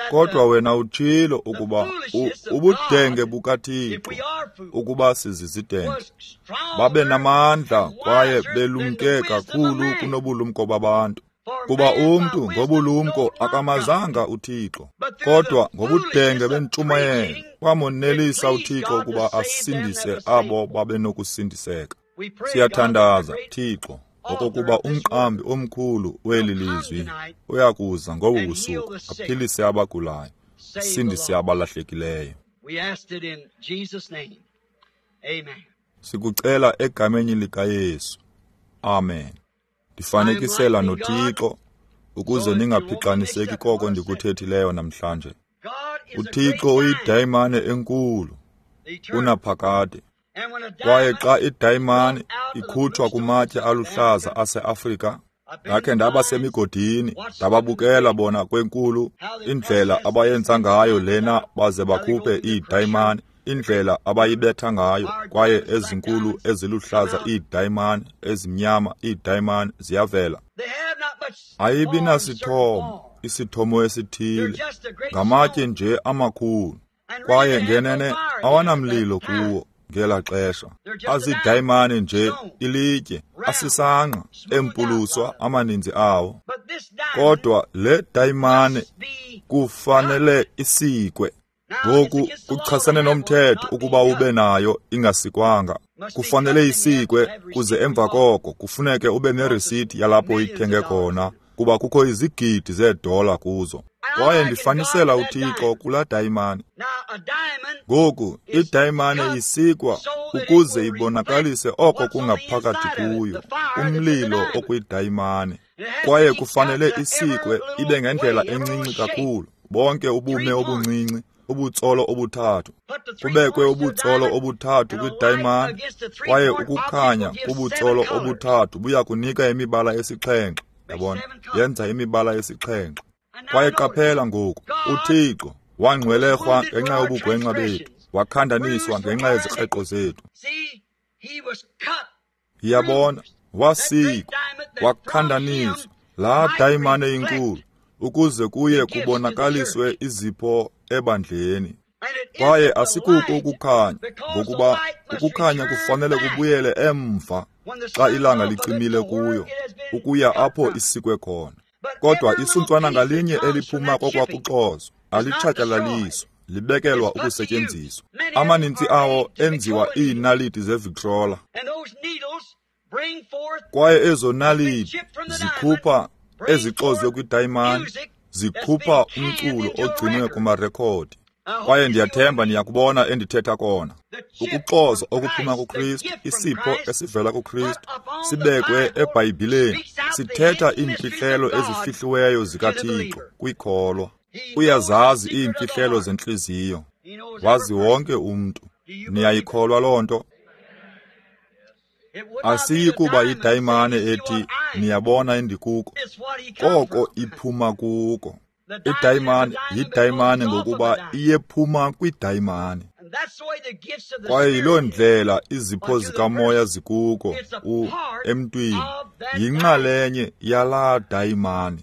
[SPEAKER 1] Kodwa wena utshilo ukuba ubudenge bukaThixo, ukuba sizizidenge, babe namandla kwaye belumke kakhulu kunobulumko babantu. Kuba umntu ngobulumko akamazanga uThixo, kodwa ngobudenge bentshumayelo kwamonelisa uThixo ukuba asindise abo babenokusindiseka. Siyathandaza, Thixo, okokuba umqambi omkhulu weli lizwi uyakuza ngobu busuku aphilise abagulayo, asindise abalahlekileyo. Sikucela egameni likaYesu. Amen. Ndifanekisela noThixo ukuze ningaphixaniseki koko ndikuthethileyo namhlanje. UThixo uyidayimane enkulu unaphakade. Kwaye xa idayimane ikhutshwa kumatye aluhlaza aseAfrika, ndakhe ndaba semigodini, ndababukela bona kwenkulu indlela abayenza ngayo lena baze bakhuphe iidayimane, indlela abayibetha ngayo, kwaye ezinkulu eziluhlaza iidayimane, ezimnyama iidayimane ziyavela. Ayibi nasithomo, isithomo esithile, ngamatye nje amakhulu. Kwaye ngenene awanamlilo kuwo ngela xesha. Azidayimane nje, ilitye, asisangqa, empuluswa amaninzi awo. Kodwa le dayimane kufanele isikwe. Ngoku kuchasene nomthetho ukuba ube nayo ingasikwanga. Kufanele isikwe kuze emva koko kufuneke ube nerisiti yalapho uyithenge khona, kuba kukho izigidi zeedola kuzo. Kwaye ndifanisela uThixo kulaa dayimane. Ngoku idayimane isikwa ukuze ibonakalise oko kungaphakathi kuyo, umlilo okwidayimane. Kwaye kufanele isikwe ibe ngendlela encinci kakhulu, bonke ubume obuncinci, ubutsolo obuthathu. Kubekwe ubutsolo obuthathu kwidayimane, kwaye ukukhanya kubutsolo obuthathu buya kunika imibala esixhenxe. Yabona, yenza imibala esixhenxe. Kwaye qaphela ngoku, uThixo wangcwelerhwa ngenxa yobugwenxa bethu, wakhandaniswa ngenxa yezikreqo zethu. Yabona, wasikwa, wakhandaniswa, laa dayimane inkulu, ukuze kuye kubonakaliswe izipho ebandleni. Kwaye asikuko ukukhanya, ngokuba ukukhanya kufanele kubuyele emva xa ilanga licimile kuyo, ukuya apho isikwe khona. Kodwa isuntswana ngalinye eliphuma kokwakuxozwa alitshatyalaliswa, libekelwa ukusetyenziswa. Amaninzi awo enziwa iinaliti zeVictrola. Kwaye ezo naliti zikhupha ezixozwe kwidayimani, zikhupha umculo ogcinwe kumarekhodi. Kwaye ndiyathemba niyakubona endithetha kona. Ukuxozwa okuphuma kuKristu, isipho esivela kuKristu, sibekwe eBhayibhileni, sithetha iimfihlelo ezifihliweyo zikaThixo kwikholwa. Uyazazi iimfihlelo zentliziyo, wazi wonke umntu. Niyayikholwa loo nto? Asiyi kuba yidayimane ethi niyabona endikuko, koko iphuma kuko. Idayimane yidayimane ngokuba iyephuma kwidayimane. Kwaye yiloo ndlela izipho zikamoya zikuko u emntwini, yinxalenye yalaa dayimane.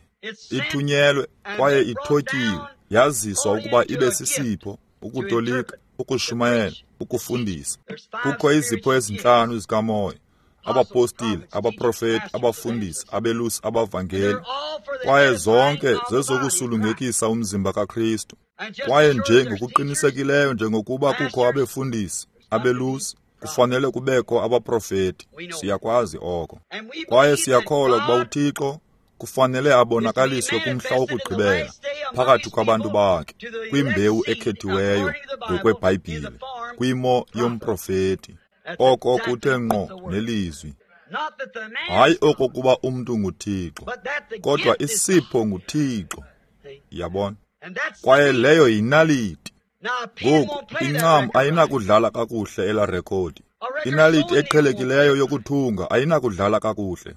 [SPEAKER 1] Ithunyelwe kwaye ithotyiwe, yaziswa ukuba ibe sisipho, ukutolika, ukushumayela, ukufundisa. Kukho izipho ezintlanu zikamoya: abapostile, abaprofeti, abafundisi, abelusi, abavangeli. Kwaye zonke zezokusulungekisa umzimba kaKristu. Kwaye nje ngokuqinisekileyo njengokuba kukho abefundisi, abelusi, kufanele kubekho abaprofeti. Siyakwazi oko. Kwaye siyakholwa ukuba uThixo kufanele abonakaliswe kumhla wokugqibela phakathi kwabantu bakhe, kwimbewu ekhethiweyo ngokweBhayibhile, kwimo yomprofeti. Oko kuthe ngqo nelizwi. Hayi okokuba umntu nguThixo, kodwa isipho nguThixo. Yabona? Kwaye leyo yinaliti. Ngoku incam ayinakudlala kakuhle elaa rekhodi. Inaliti eqhelekileyo yokuthunga ayinakudlala kakuhle,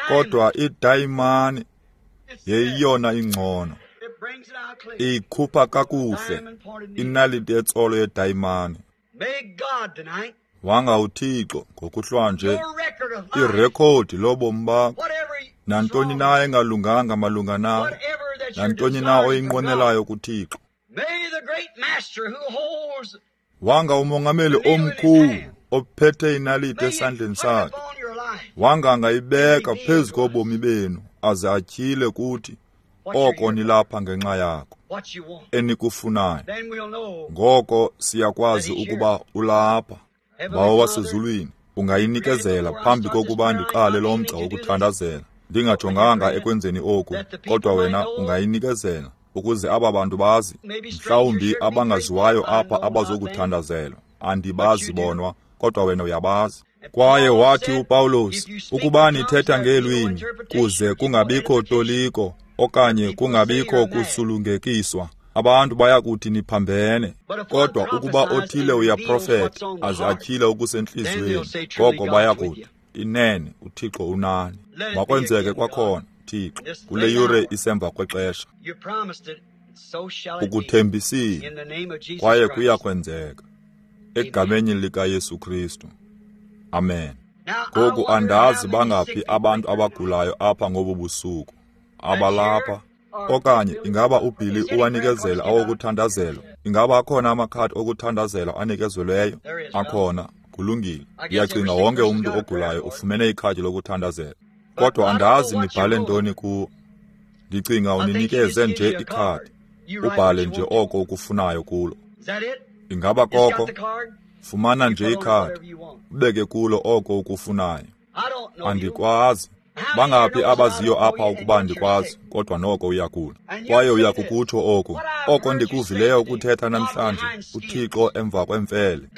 [SPEAKER 1] kodwa idayimane yeyona ingcono. Iyikhupha kakuhle inaliti etsolo yedayimane. Wanga uThixo ngokuhlwanje irekhodi lobomi bakho, nantoni na engalunganga malunga nawe, nantoni na oyinqwenelayo kuThixo. Wanga umongameli omkhulu ophethe inaliti esandleni sakhe, wanga angayibeka phezu kobomi benu aze atyhile kuthi oko nilapha ngenxa yako, enikufunayo. Ngoko siyakwazi ukuba ulapha. Bawo wasezulwini, ungayinikezela phambi kokuba ndiqale lo mgca wokuthandazela, ndingajonganga ekwenzeni oku, kodwa wena ungayinikezela ukuze aba bantu bazi, mhlawumbi abangaziwayo apha abazokuthandazelwa. Andibazi bonwa, kodwa wena uyabazi. Kwaye wathi uPawulos, ukuba nithetha ngeelwimi kuze kungabikho toliko okanye kungabikho kusulungekiswa, abantu bayakuthi niphambene. Kodwa ukuba othile uyaprofeta aze atyhile okusentliziyweni, ngoko bayakuthi inene uThixo unani. Makwenzeke kwakhona, Thixo, kule yure isemva kwexesha. Ukuthembisile, kwaye kuyakwenzeka, egameni likaYesu Kristu. Amen. Ngoku andazi bangaphi abantu abagulayo apha ngobu busuku abalapha. Okanye ingaba uBilly uwanikezela awokuthandazelwa? Ingaba akhona amakhadi okuthandazelwa anikezelweyo? Akhona. Kulungile. Ndiyacinga wonke umntu ogulayo ufumene ikhadi lokuthandazela. Kodwa andazi nibhale ntoni kuwo. Ndicinga uninikeze nje ikhadi, ubhale nje oko ukufunayo kulo. Ingaba koko? Fumana nje ikhadi, ubeke kulo oko ukufunayo. Andikwazi. Bangaphi abaziyo apha ukuba andikwazi, kodwa noko uyagula. Kwaye uyakukutsho oko. Oko ndikuvileyo ukuthetha namhlanje, uThixo emva kwemfele.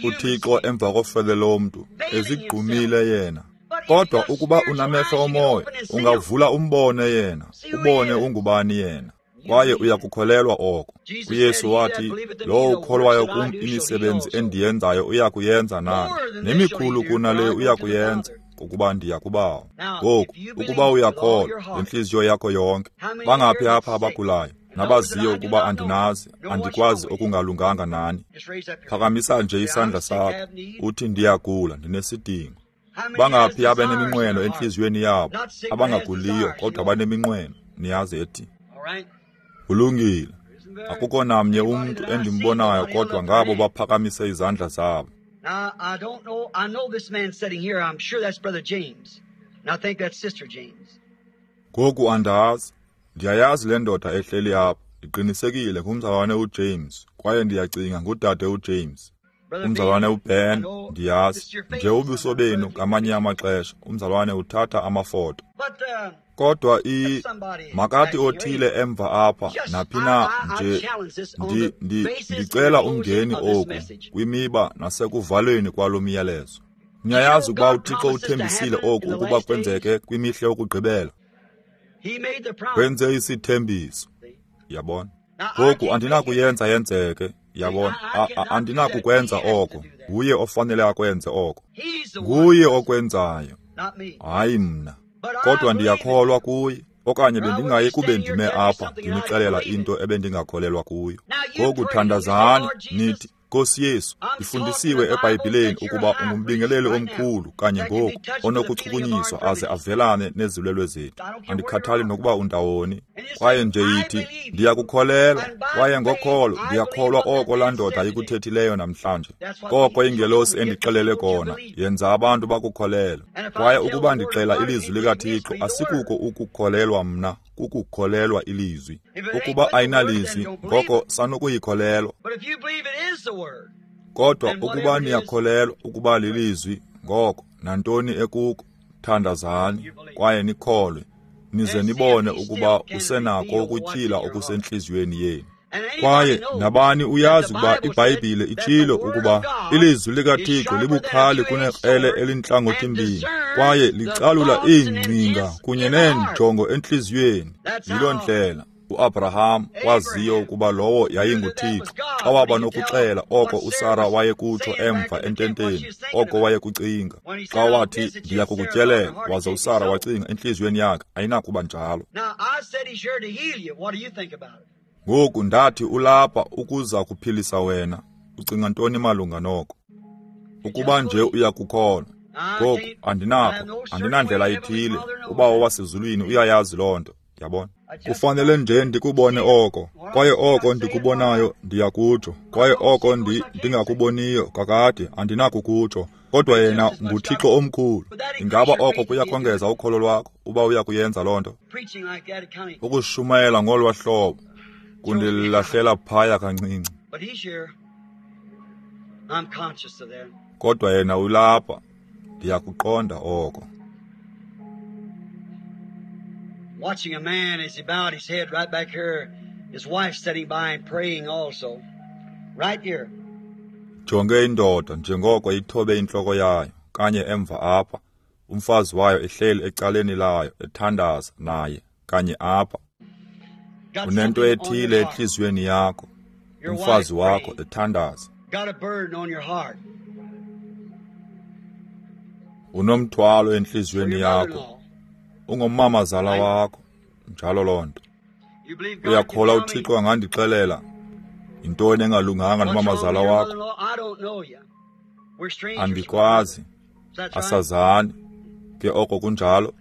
[SPEAKER 1] uThixo emva kofele lomntu, ezigqumile yena. Kodwa ukuba unamehlo omoya, ungavula umbone yena, ubone ungubani yena. Kwaye uyakukholelwa oko. UYesu wathi, lowo ukholwayo kum imisebenzi endiyenzayo uyakuyenza naye, nemikhulu kunale uyakuyenza, ukuba ndiya kubawo. Ngoku, ukuba uyakholwa ngentliziyo yakho yonke, bangaphi apha abagulayo, nabaziyo ukuba andinazi, andikwazi okungalunganga nani? Phakamisa nje isandla sakho, uthi ndiyagula, ndinesidingo. Bangaphi abaneminqweno entliziyweni yabo, abangaguliyo kodwa baneminqweno, niyazi ethi. Kulungile. Akukho namnye umntu endimbonayo kodwa ngabo baphakamise izandla zabo.
[SPEAKER 2] Now, I don't know. I know this man sitting here. I'm sure that's Brother James. And I think that's Sister James.
[SPEAKER 1] Ngoku andazi. Ndiyayazi le ndoda ehleli apha. Ndiqinisekile ngumzalwane uJames, kwaye ndiyacinga ngudade uJames. Umzalwane uBen, ndiyazi. Nje ubuso benu ngamanye amaxesha, umzalwane uthatha amafoto. Kodwa i makathi othile emva apha naphi na nje ndi, ndi, ndicela umngeni oku kwimiba nasekuvalweni kwalo myalezo. Niyayazi ukuba uThixo uthembisile oku ukuba kwenzeke kwimihla yokugqibela. Wenze isithembiso. Yabona? Ngoku andinakuyenza yenzeke. Yabona? Andinakukwenza oko. Nguye ofanele akwenze oko. Nguye okwenzayo. Hayi mna. Kodwa ndiyakholwa kuye, okanye bendingayi kube ndime apha ndinixelela into ebendingakholelwa kuyo. Ngoku thandazani nithi, Nkosi Yesu, ndifundisiwe eBhayibhileni ukuba ungumbingeleli omkhulu kanye ngoku onokuchukunyiswa aze avelane nezilwelwe zethu. Andikhathali nokuba undawoni. Kwaye nje yithi, ndiyakukholelwa, kwaye ngokholo ndiyakholwa oko laa ndoda ikuthethileyo namhlanje. Koko ingelosi endixelele kona, yenza abantu bakukholelwe. Kwaye ukuba ndixela ilizwi likaThixo, asikuko ukukholelwa mna, kukukholelwa ilizwi. Ukuba ayinalizwi, ngoko sanukuyikholelwa. Kodwa ukuba niyakholelwa ukuba lilizwi, ngoko nantoni ekuko, thandazani kwaye nikholwe, nize nibone ukuba usenako ukutyhila okusentliziyweni yenu. Kwaye nabani uyazi ukuba iBhayibhile itshilo ukuba ilizwi likaThixo libukhali kunekrele elintlangothi-mbini, kwaye licalula iingcinga kunye neenjongo entliziyweni. Yiloo ndlela uAbraham waziyo ukuba lowo yayinguThixo xa waba nokuxela oko uSara wayekutsho emva ententeni, oko wayekucinga. Xa wathi, ndiyakukutyelela, waze uSara wacinga entliziyweni yakhe, ayinakuba njalo. Ngoku ndathi ulapha ukuza kuphilisa wena. Ucinga ntoni malunga noko? Ukuba nje uyakukholwa. Ngoku andinakho, andinandlela ithile. Ubawo wasezulwini uyayazi loo nto. Yabona? Kufanele nje ndikubone oko, kwaye oko ndikubonayo ndiyakutsho, kwaye oko ndi ndingakuboniyo kakade andinakukutsho. Kodwa yena nguThixo omkhulu. Ingaba oko kuyakongeza ukholo lwakho uba uyakuyenza loo nto? Ukushumayela ngolwa hlobo kundilahlela phaya kancinci. Kodwa yena ulapha, ndiyakuqonda oko.
[SPEAKER 2] Watching a man as he bowed his head right back here, his wife sitting by and praying also. Right here.
[SPEAKER 1] Jonge indoda njengoko ithobe intloko yayo kanye emva apha, umfazi wayo ehleli ecaleni layo ethandaza naye kanye apha. Unento ethile entliziyweni yakho, umfazi wakho ethandaza. Unomthwalo entliziyweni yakho. Ungumamazala wakho, njalo loo nto. Uyakholwa uThixo angandixelela yintoni engalunganga nomamazala wakho? Andikwazi, asazani. Ke oko kunjalo.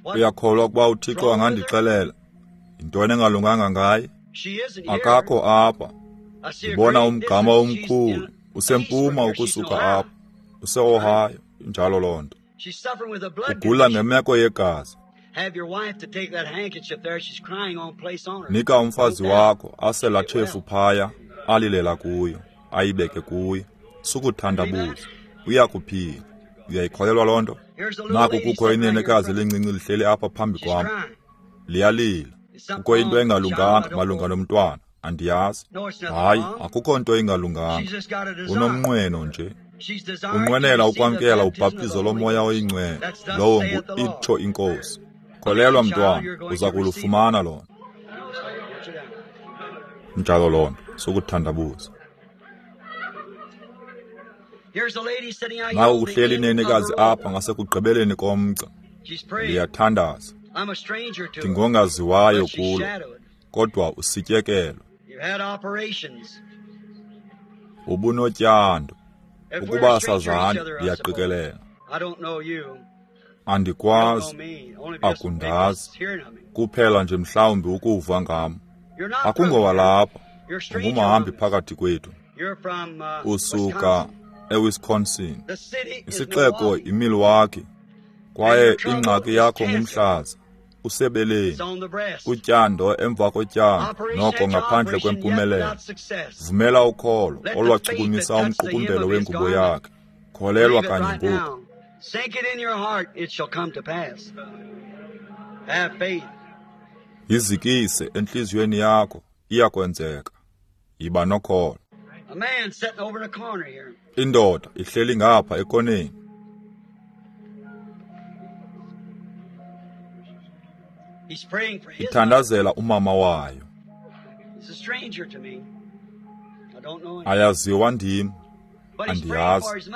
[SPEAKER 1] Uyakholwa ukuba uThixo angandixelela yintoni engalunganga ngaye? Akakho apha. Ndibona umgama omkhulu usempuma ukusuka apha, use-Ohio, injalo loo nto. Ugula ngemeko yegazi. Nika umfazi wakho ase laa tshefu phaya, alilela kuyo, ayibeke kuyo. Sukuthandabuza, uyakuphila. Uyayikholelwa loo nto? Naku kukho inenekazi elincinci lihleli apha phambi kwam, liyalila. Kukho into engalunganga malunga nomntwana, andiyazi. Hayi, akukho nto ingalunganga. Unomnqweno nje. Unqwenela ukwamkela ubhaptizo loMoya oyiNgcwele, lowo ngu-itsho iNkosi. Kholelwa mntwana, uza kulufumana lona. Njalo loo nto, sukuthandabuza. Naku kuhleli inenekazi apha ngasekugqibeleni komgca, liyathandaza. Ndingongaziwayo kulo, kodwa usityekelwe. Ubunotyando. Ukuba sazani, ndiyaqikelela. Andikwazi, akundazi, kuphela nje mhlawumbi ukuva ngam. Akungowalapha, ungumhambi phakathi kwethu. Usuka eWisconsin, isixeko iMilwaukee, kwaye ingxaki yakho ngumhlaza, usebeleni, utyando emva kotyando, noko ngaphandle kwempumelelo. Vumela ukholo olwachukumisa umqukumbelo wengubo yakhe. Kholelwa kanye ngoku. Yizikise entliziyweni yakho, iyakwenzeka. Yiba nokholo. Indoda ihleli ngapha ekoneni. Ithandazela umama wayo. Ayaziwa ndim, andiyazi,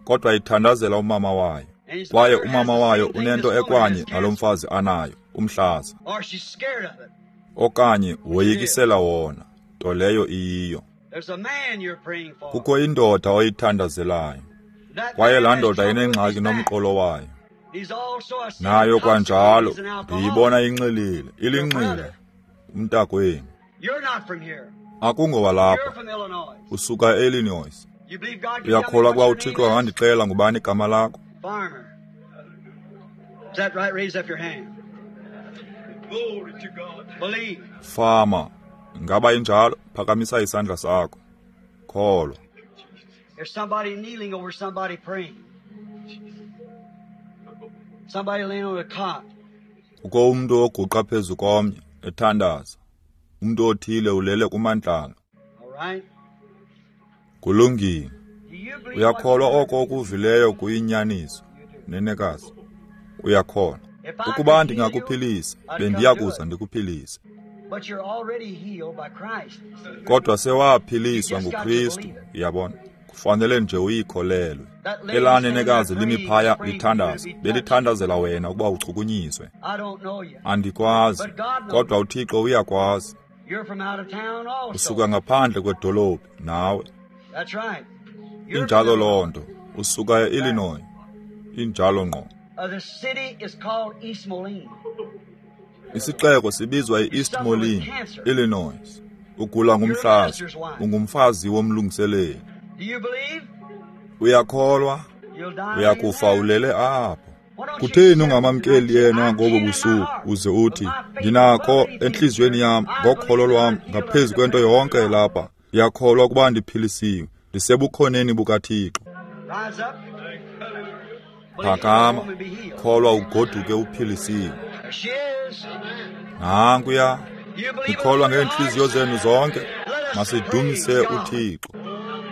[SPEAKER 1] kodwa ithandazela umama wayo. Kwaye umama wayo unento ekwanye nalo mfazi anayo, umhlaza, okanye woyikisela wona, nto leyo iyiyo. Kukho indoda oyithandazelayo, kwaye laa ndoda inengxaki nomqolo wayo. Nayo kwanjalo, ndiyibona inxilile, ilinxile, umntakwenu. Akungowalapha, usuka e-Illinois. Uyakholwa ukuba uThixo angandixelela ngubani igama lakho? Fama, ngaba injalo? Phakamisa isandla sakho. Kholwa.
[SPEAKER 2] There's somebody kneeling over somebody praying. Somebody laying on a cot.
[SPEAKER 1] Kukho umntu oguqa phezu komnye ethandaza. Umntu othile ulele kumandlalo.
[SPEAKER 2] All right.
[SPEAKER 1] Kulungile. Uyakholwa oko okuvileyo kuyinyaniso, nenekazi? Uyakholwa. Ukuba ndingakuphilisa, bendiyakuza ndikuphilise.
[SPEAKER 2] But you're already healed by Christ.
[SPEAKER 1] Kodwa sewaphiliswa nguKristu, uyabona. Kufanele nje uyikholelwe. Elaa nenekazi limi phaya lithandaza, belithandazela wena ukuba uchukunyiswe.
[SPEAKER 2] I don't know you.
[SPEAKER 1] Andikwazi, kodwa uThixo uyakwazi.
[SPEAKER 2] You're from out of town also.
[SPEAKER 1] Usuka ngaphandle kwedolophu nawe.
[SPEAKER 2] That's right. You're
[SPEAKER 1] Injalo loo nto. Usuka e-Illinois. Injalo ngqo.
[SPEAKER 2] Uh, the city is called East Moline.
[SPEAKER 1] Isixeko sibizwa i-East Moline, Illinois. Ugula ngumhlaza, ungumfazi womlungiseleli.
[SPEAKER 2] Do you believe?
[SPEAKER 1] Uyakholwa?
[SPEAKER 2] You'll die.
[SPEAKER 1] Uyakufa ulele apho. Kutheni ungamamkeli yena ngobo busuku uze uthi, ndinakho entliziyweni yam ngokholo lwam ngaphezu kwento yonke lapha. Ndiyakholwa ukuba ndiphilisiwe, ndisebukhoneni bukaThixo.
[SPEAKER 2] Rise up.
[SPEAKER 1] Phakama, kholwa ugoduke uphilisiwe.
[SPEAKER 2] There she is.
[SPEAKER 1] Nankuya,
[SPEAKER 2] You believe
[SPEAKER 1] ndikholwa
[SPEAKER 2] with all your
[SPEAKER 1] ngeentliziyo
[SPEAKER 2] heart?
[SPEAKER 1] zenu zonke. Masidumise uThixo.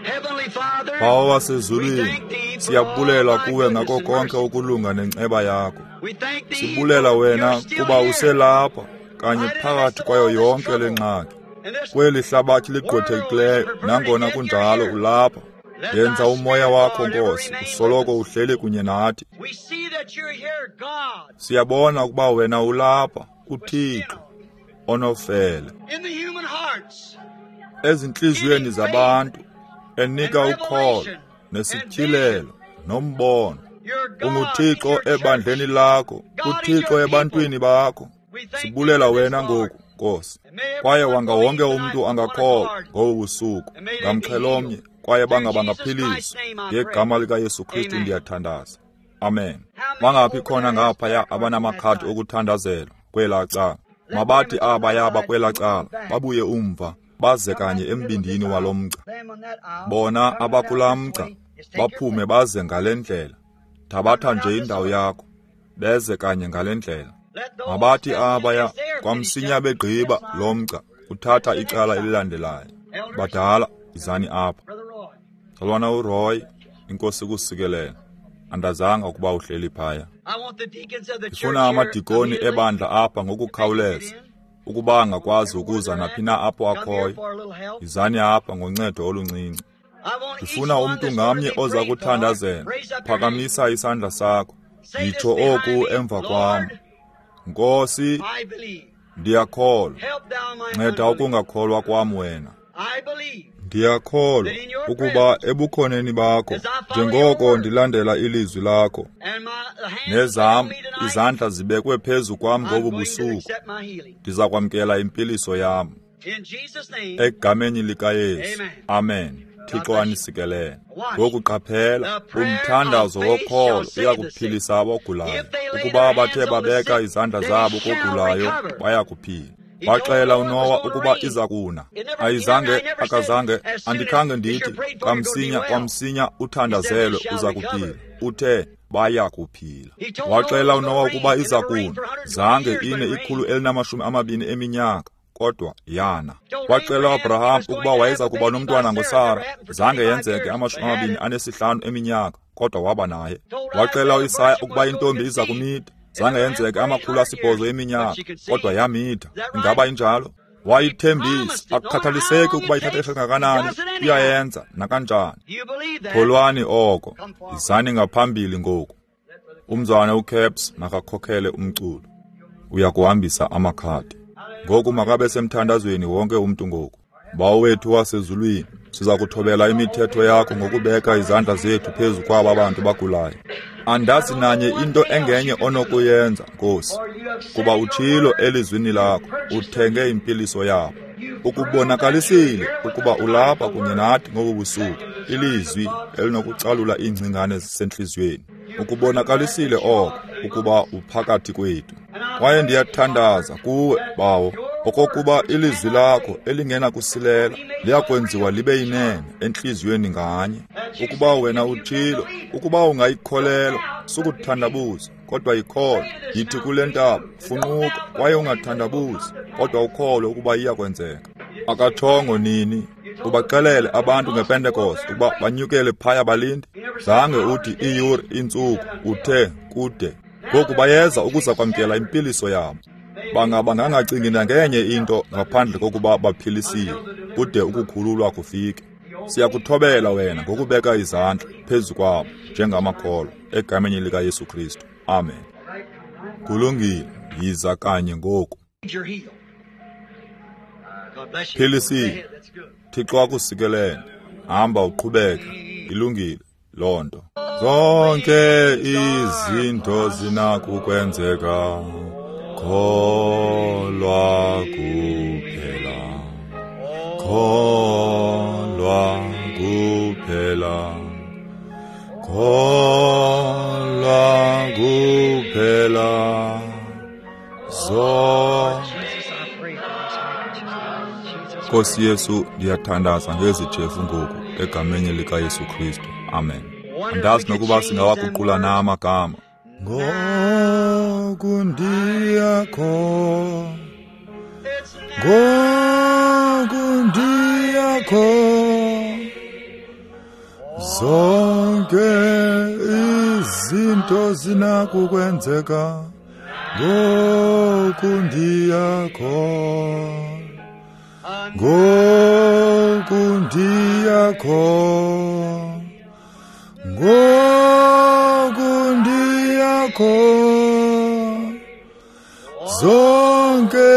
[SPEAKER 2] Heavenly Father,
[SPEAKER 1] Bawo
[SPEAKER 2] we
[SPEAKER 1] wasezulwini,
[SPEAKER 2] thank thee for
[SPEAKER 1] siyabulela
[SPEAKER 2] all thy
[SPEAKER 1] kuwe
[SPEAKER 2] goodness
[SPEAKER 1] ngako
[SPEAKER 2] and
[SPEAKER 1] konke
[SPEAKER 2] mercy.
[SPEAKER 1] ukulunga nenceba yakho.
[SPEAKER 2] We thank thee
[SPEAKER 1] Sibulela
[SPEAKER 2] for
[SPEAKER 1] wena
[SPEAKER 2] you're still
[SPEAKER 1] kuba
[SPEAKER 2] here.
[SPEAKER 1] uselapha kanye
[SPEAKER 2] Right in the
[SPEAKER 1] phakathi
[SPEAKER 2] midst of
[SPEAKER 1] kwayo
[SPEAKER 2] all this
[SPEAKER 1] yonke le
[SPEAKER 2] trouble.
[SPEAKER 1] ngxaki.
[SPEAKER 2] In this
[SPEAKER 1] Kweli hlabathi ligqwethekileyo, nangona kunjalo ulapha.
[SPEAKER 2] Let
[SPEAKER 1] Yenza
[SPEAKER 2] thy
[SPEAKER 1] umoya
[SPEAKER 2] spirit,
[SPEAKER 1] wakho
[SPEAKER 2] Lord, ever
[SPEAKER 1] Nkosi
[SPEAKER 2] remain with
[SPEAKER 1] usoloko
[SPEAKER 2] us.
[SPEAKER 1] uhleli kunye nathi.
[SPEAKER 2] We see that you're here, God,
[SPEAKER 1] Siyabona ukuba wena ulapha, uThixo onofele
[SPEAKER 2] in the human hearts,
[SPEAKER 1] ezintliziyweni zabantu, enika
[SPEAKER 2] and
[SPEAKER 1] ukholo
[SPEAKER 2] revelation
[SPEAKER 1] nesityhilelo nombono. UnguThixo ebandleni lakho, uThixo ebantwini bakho. Sibulela wena ngoku, Nkosi. Kwaye wanga wonke umntu angakholwa ngobu busuku ngamxhelomnye, kwaye banga bangaphiliswa. Ngegama likaYesu Kristu ndiyathandaza. Amen. Bangaphi khona ngaphaya abanamakhadi okuthandazelwa kwelaa cala? Mabathi abaya bakwelaa cala babuye umva, baze kanye embindini walo mgca. Bona abakulaa mgca baphume baze ngale ndlela. Thabatha nje indawo yakho, beze kanye ngale ndlela. Mabathi abaya kwamsinya begqiba lo mgca uthatha icala elilandelayo. Badala, izani apha. Mzalwana uRoy, inkosi kusikelele. Andazanga ukuba uhleli phaya. Ndifuna amadikoni ebandla apha ngokukhawuleza, ukuba angakwazi ukuza naphi na apho akhoyo. Izani apha ngoncedo oluncinci. Ndifuna umntu ngamnye oza kuthandazela. Phakamisa isandla sakho. Yitsho oku emva kwam. Nkosi, ndiyakholwa. Nceda ukungakholwa kwam wena. Ndiyakholwa ukuba ebukhoneni bakho, njengoko ndilandela ilizwi lakho, nezam izandla zibekwe phezu kwam ngobu busuku, ndiza kwamkela impiliso yam. Egameni likaYesu. Amen. Thixo anisikelele. Ngoku qaphela, umthandazo wokholo uyakuphilisa abagulayo. Ukuba bathe babeka izandla zabo kogulayo, bayakuphila. Waxela uNowa ukuba iza kuna. Ayizange, akazange, andikhange ndithi kamsinya kwamsinya uthandazelwe uza kuphila. Uthe baya kuphila. Waxela uNowa ukuba iza kuna. Zange ine ikhulu elinamashumi amabini eminyaka, kodwa yana. Waxela uAbraham ukuba wayeza kuba nomntwana ngoSara. Zange yenzeke amashumi amabini anesihlanu eminyaka, kodwa waba naye. Waxela uIsaya ukuba intombi iza kumitha. Zange yenzeke amakhulu asibhozo eminyaka, kodwa yamitha. Ingaba injalo? Wayithembisa, akukhathaliseki ukuba ithatha ixesha kangakanani, uyayenza nakanjani. Kholwani oko, izani ngaphambili ngoku. Umzwana uCaps makakhokhele umculo. Uyakuhambisa amakhadi. Ngoku makabe semthandazweni wonke umntu ngoku. Bawo wethu wasezulwini, siza kuthobela imithetho yakho ngokubeka izandla zethu phezu kwaba bantu bagulayo. Andazi nanye into engenye onokuyenza, Nkosi, kuba utshilo elizwini lakho, uthenge impiliso yabo. Ukubonakalisile ukuba ulapha kunye nathi ngobu busuku, ilizwi elinokucalula iingcingane zisentliziyweni. Ukubonakalisile oko ukuba uphakathi kwethu. Kwaye ndiyathandaza kuwe, Bawo, okokuba ilizwi lakho elingenakusilela liyakwenziwa libe yinene entliziyweni nganye. Ukuba wena utshilo, ukuba ungayikholelwa, sukuthandabuza, kodwa yikholwe. Yithi kule ntaba, funquka, kwaye ungathandabuzi, kodwa ukholwe ukuba iyakwenzeka. Akatshongo nini, ubaxelele abantu ngePentekoste ukuba banyukele phaya balinde. Zange uthi iiyure, iintsuku, uthe kude. Ngoku bayeza ukuza kwamkela impiliso yabo. Bangaba ngangacingi nangenye into ngaphandle kokuba baphilisiwe, kude ukukhululwa kufike. Siyakuthobela wena ngokubeka izandla phezu kwabo njengamakholwa, egameni likaYesu Kristu. Amen. Kulungile, yiza kanye ngoku. Philisiwe. Thixo akusikelele. Hamba uqhubeke. Ilungile loo nto. Zonke izinto zinakukwenzeka, kholwa kuphela, kholwa kuphela, kholwa kuphela. Zo Nkosi Yesu, ndiyathandaza ngezi tshefu ngoku egameni likaYesu Kristu. Amen. Andazi nokuba singawaguqula na amagama. Ngoku ndiyakholwa, ngoku ndiyakholwa, zonke izinto zinakukwenzeka, ngoku ndiyakholwa, ngoku ndiyakholwa, ngoku ndiyakholwa, zonke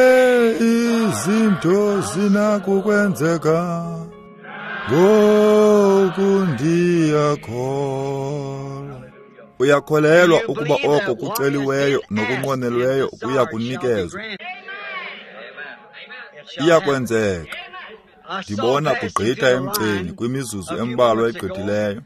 [SPEAKER 1] izinto zinakukwenzeka, ngoku ndiyakholwa. Uyakholelwa ukuba oko kuceliweyo nokunqwenelweyo kuya kunikezwa? Iyakwenzeka. Ndibona kugqitha emgceni kwimizuzu embalwa egqithileyo.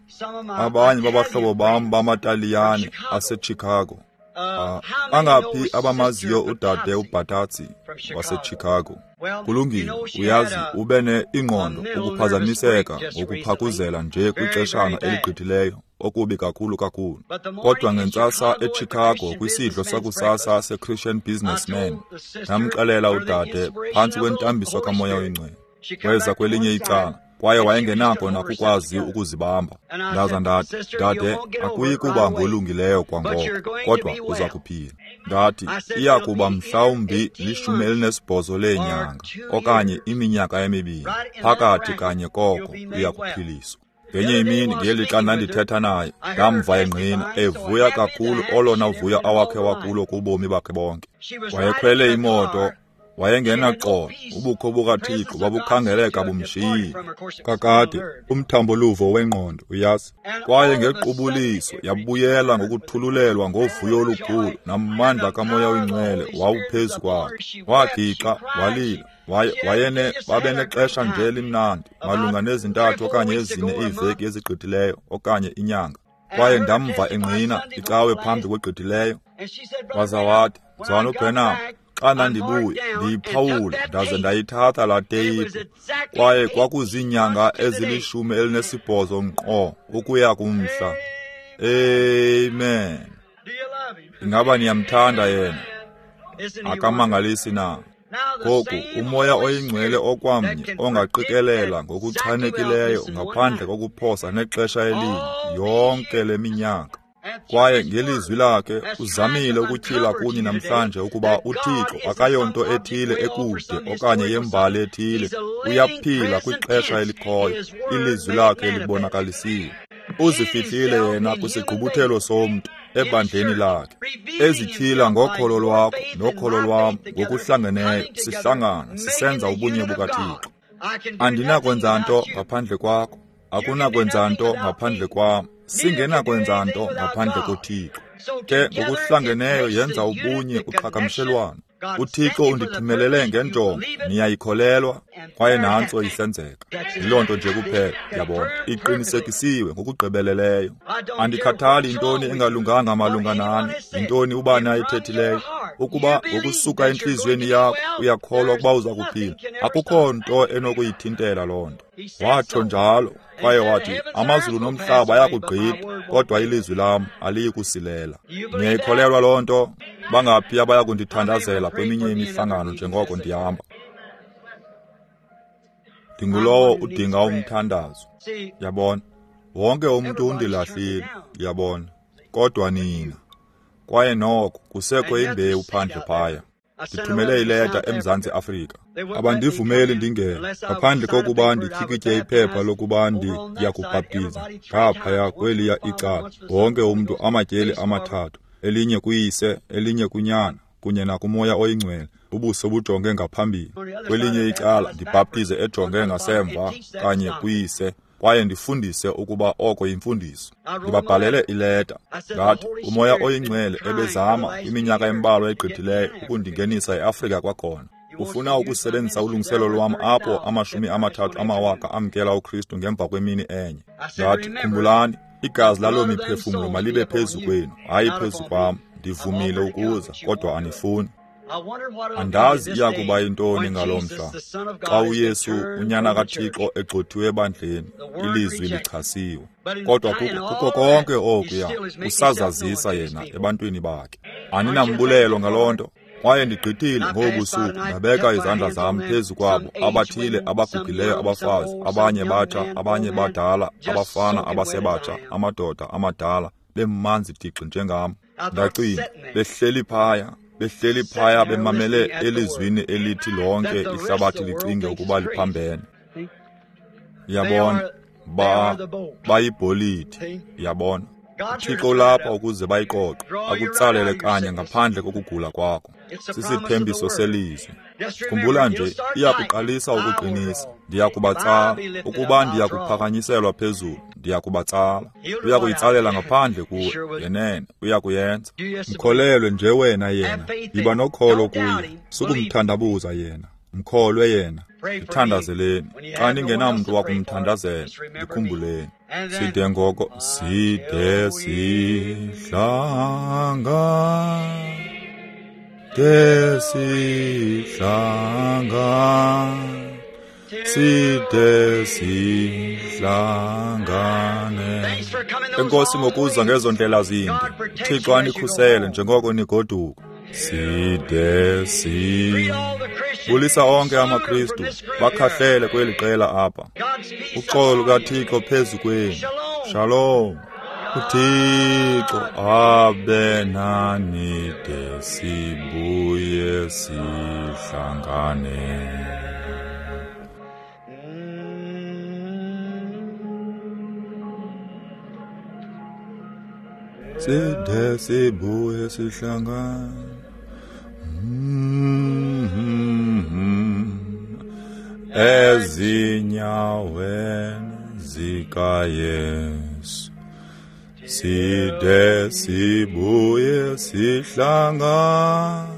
[SPEAKER 1] Abanye babahlobo bam bamaTaliyane aseChicago. Uh, bangaphi abamaziyo udade uBatatsi waseChicago? Kulungile, uyazi, ube ne ingqondo ukuphazamiseka ngokuphakuzela nje kwixeshana eligqithileyo, okubi kakhulu kakhulu. Kodwa ngentsasa eChicago kwisidlo sakusasa seChristian Businessman, ndamxelela udade phantsi kwentambiso kaMoya oyiNgcwele. Weza kwelinye icala, kwaye wayengenako nakukwazi ukuzibamba. Ndaza ndathi, dade, akuyi kuba ngolungileyo kwangoko, kodwa uza kuphila. Ndathi, iya kuba mhlawumbi lishumi elinesibhozo leenyanga okanye iminyaka emibini, phakathi kanye koko uya kuphiliswa. Ngenye imini ngelixa ndandithetha naye, ndamva engqina evuya kakhulu olona vuyo awakhe wakulo kubomi bakhe bonke. Wayekhwele imoto, wayengenaxolo, ubukho bukaThixo babukhangeleka bumshiyile. Kakade, umthambo-luvo wengqondo, uyazi. Kwaye ngequbuliso yabuyela ngokuthululelwa ngovuyo olukhulu namandla kaMoya oyiNgcwele wawuphezu kwakhe. Wagixa, walila, waye wayene babenexesha nje elimnandi, malunga nezintathu okanye ezine iiveki ezigqithileyo okanye inyanga. Kwaye ndamva engqina icawe phambi kwegqithileyo. Waza wathi, Mzalwana uBranham, xa ndandibuya ndiyiphawula ndaze ndayithatha laa teyiphu, kwaye kwakuziinyanga ezilishumi elinesibhozo nkqo ukuya kumhla. Amen. Ingaba niyamthanda yena? Akamangalisi na? Ngoku uMoya oyiNgcwele okwamnye ongaqikelela ngokuchanekileyo ngaphandle kokuphosa nexesha elinye yonke le minyaka, kwaye ngelizwi lakhe uzamile ukutyhila kuni namhlanje ukuba uThixo akayonto ethile ekude okanye yembali ethile, uyaphila kwixesha elikhoyo, ilizwi lakhe libonakalisiwe. Uzifihlile yena kwisigqubuthelo somntu ebandleni lakhe, ezityhila ngokholo lwakho nokholo lwam ngokuhlangeneyo, sihlangana sisenza ubunye bukaThixo. Andinakwenza nto ngaphandle kwakho, akunakwenza nto ngaphandle kwam, singenakwenza nto ngaphandle koThixo. Ke ngokuhlangeneyo yenza ubunye uqhagamshelwano. UThixo undithumelele ngenjongo, niyayikholelwa, kwaye nantso isenzeka. Yiloo nto nje kuphela, yabona, iqinisekisiwe ngokugqibeleleyo. Andikhathali yintoni engalunganga malunga nani, yintoni ubani ayithethileyo. Ukuba ngokusuka entliziyweni yakho uyakholwa ukuba uza kuphila, akukho nto enokuyithintela loo nto. Watsho njalo, kwaye wathi, amazulu nomhlaba ayakugqitha, kodwa ilizwi lam aliyi kusilela. Niyayikholelwa loo nto? Bangaphi abaya kundithandazela kweminye imihlangano njengoko ndihamba? Ndingulowo udinga umthandazo. Yabona, wonke umntu undilahlile, yabona, kodwa nina. Kwaye noko kusekho imbewu phandle phaya. Ndithumele ileta eMzantsi Afrika. Abandivumeli ndingene ngaphandle kokuba ndityikitye iphepha lokuba ndiyakubhaptiza ngaphaya kweliya icala. Wonke umntu amatyeli amathathu, elinye kuyise, elinye kunyana, kunye nakuMoya oyiNgcwele, ubuso bujonge ngaphambili. Kwelinye icala ndibhaptize ejonge ngasemva kanye kuyise, kwaye ndifundise ukuba oko yimfundiso. Ndibabhalele ileta. Ndathi, uMoya oyiNgcwele ebezama iminyaka embalwa egqithileyo ukundingenisa eAfrika kwakhona. Ufuna ukusebenzisa ulungiselo lwam apho amashumi amathathu amawaka amkela uKristu ngemva kwemini enye. Ndathi, khumbulani, igazi laloo miphefumlo malibe phezu kwenu, hayi phezu kwam. Ndivumile ukuza, kodwa anifuni. Andazi iya kuba yintoni ngaloo mhla xa uYesu unyana kaThixo egxothiwe ebandleni, ilizwi lichasiwe. Kodwa kuko konke okuya usazazisa yena ebantwini bakhe. Aninambulelo ngaloo nto? Kwaye ndigqithile ngobu busuku ndabeka izandla zam phezu kwabo abathile abagugileyo abafazi, abanye batsha, abanye badala, abafana abasebatsha, amadoda amadala, bemanzi tixi njengam. Ndacinga, behleli phaya, behleli phaya bemamele elizwini elithi lonke ihlabathi licinge ukuba liphambene. Yabona, ba bayibholiti, yabona. UThixo ulapha ukuze bayiqoqe, akutsalele kanye ngaphandle kokugula kwakho. Sisithembiso selizwi. Khumbula nje, iyakuqalisa ukuqinisa. Ndiyakubatsala. Ukuba ndiyakuphakanyiselwa phezulu, ndiyakubatsala. Uyakuyitsalela ngaphandle kuwe. Yenene, uyakuyenza. Mkholelwe nje wena yena. Yiba nokholo kuye. Sukumthandabuza yena. Mkholwe yena. Ndithandazeleni. Xa ningenamntu wakumthandazela, ndikhumbuleni. Side ngoko, side sihlanga. De sihlanga. Side sihlangane. Enkosi ngokuza ngezo ndlela zinde. Thixo anikhusele njengoko nigoduka. Side si. Bulisa onke amaKristu, bakhahlele kweli qela apha. Uxolo lukaThixo phezu kwenu. Shalom. uThixo abe nani de sibuye sihlangane. Side sibuye sihlangane. Ezinyaweni zikaYesu side sibuye sihlangane,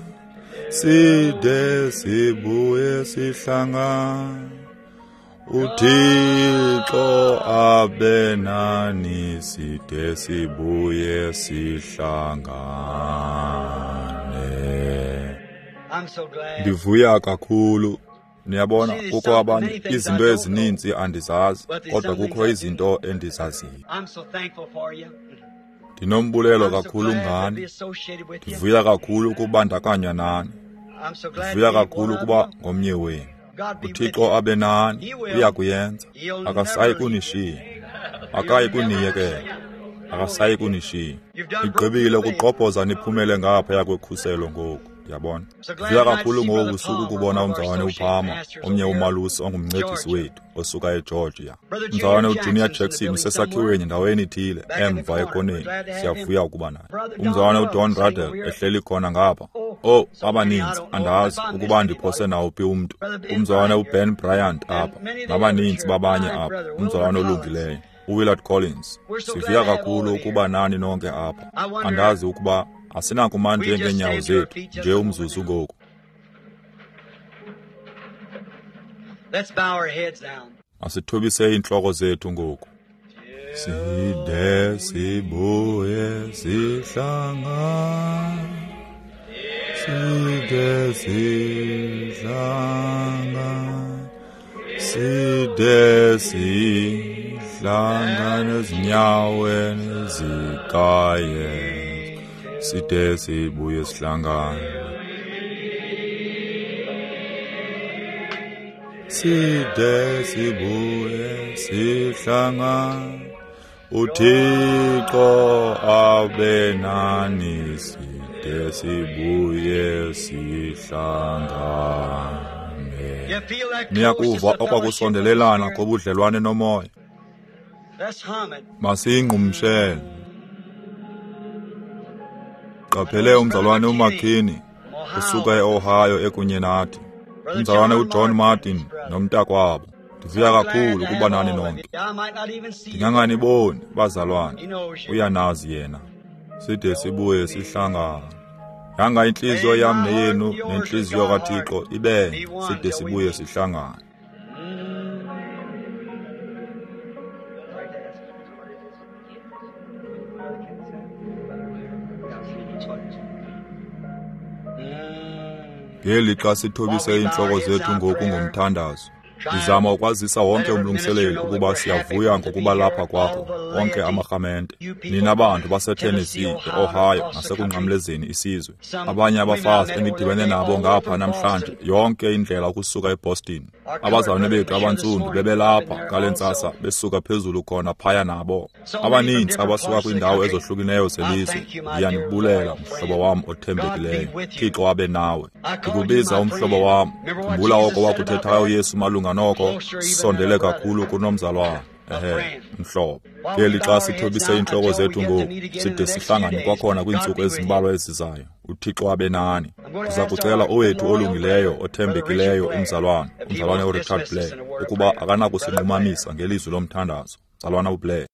[SPEAKER 1] side sibuye sihlangane. uThixo abe nani side sibuye sihlangane. Ndivuya kakhulu. Niyabona, kukho abanye izinto ezininzi andizazi, kodwa kukho izinto endizaziyo. Ndinombulelo kakhulu ngani. Ndivuya kakhulu ukubandakanywa nani. Ndivuya kakhulu ukuba ngomnye wenu. uThixo abe nani, uyakuyenza. Akasayi kunishiya. Akayi kuniyekela. Akasayi kunishiya. Nigqibile ukugqobhoza niphumele ngaphaya kwekhuselo ngoku. Ndiyabona. Ndivuya kakhulu ngobu busuku ukubona umzalwane uPalmer, omnye umalusi ongumncedisi wethu osuka eGeorgia. Umzalwane uJunior Jackson usesakhiweni ndaweni ithile emva ekoneni. Siyavuya ukuba naye. Umzalwane uDon Ruddell ehleli khona ngapha. Oh, abaninzi andazi ukuba ndiphose nawuphi umntu. Umzalwane uBen Bryant apha, nabaninzi babanye apha. Umzalwane olungileyo uWillard Collins. Sivuya kakhulu ukuba nani nonke apha. Andazi ukuba asinakuma nje ngeenyawo zethu nje umzuzu ngoku. Asithobise iintloko zethu ngoku. Side sibuye sihlangane, side sihlangane, side sihlangane ezinyaweni zikaYesu. Side sibuye sihlangane. Side sibuye sihlangane. uThixo abe nani side sibuye sihlangane. Niyakuva okwakusondelelana kobudlelwane nomoya. Masiyingqumshele. Qaphele umzalwane uMcKinney usuka eOhio ekunye nathi. Umzalwane uJohn Martin nomntakwabo. Ndivuya kakhulu ukuba nani nonke. Ndinganganiboni bazalwane. Uyanazi yena. Side sibuye sihlangane. Yanga intliziyo yam neyenu nentliziyo kaThixo ibe side sibuye sihlangane. Ngelixa sithobise iintloko zethu ngoku ngomthandazo, ndizama ukwazisa wonke umlungiseleli ukuba siyavuya ngokuba lapha kwakho, onke amarhamente, nina bantu baseTennessee, eOhio nasekunqamlezeni isizwe. Abanye abafazi endidibene nabo ngapha namhlanje, yonke indlela ukusuka eBoston. Abazalwane bethu abantsundu bebelapha ngale ntsasa besuka phezulu khona phaya nabo. Abaninzi abasuka kwiindawo ezohlukileyo zelizwe, ndiyanibulela mhlobo wam othembekileyo. Thixo abe nawe. Ndikubiza umhlobo wam. Khumbula oko wakuthethayo uYesu malunga noko, sondele kakhulu kunomzalwane. Ehe, mhlobo. Ngeli xa sithobise iintloko zethu ngoku, side sihlangane kwakhona kwiintsuku ezimbalwa ezizayo. UThixo abe nani. Ndiza kucela owethu olungileyo, othembekileyo umzalwana, umzalwane uRichard Blair, ukuba akanakusinqumamisa ngelizwi lomthandazo. Mzalwana uBlair.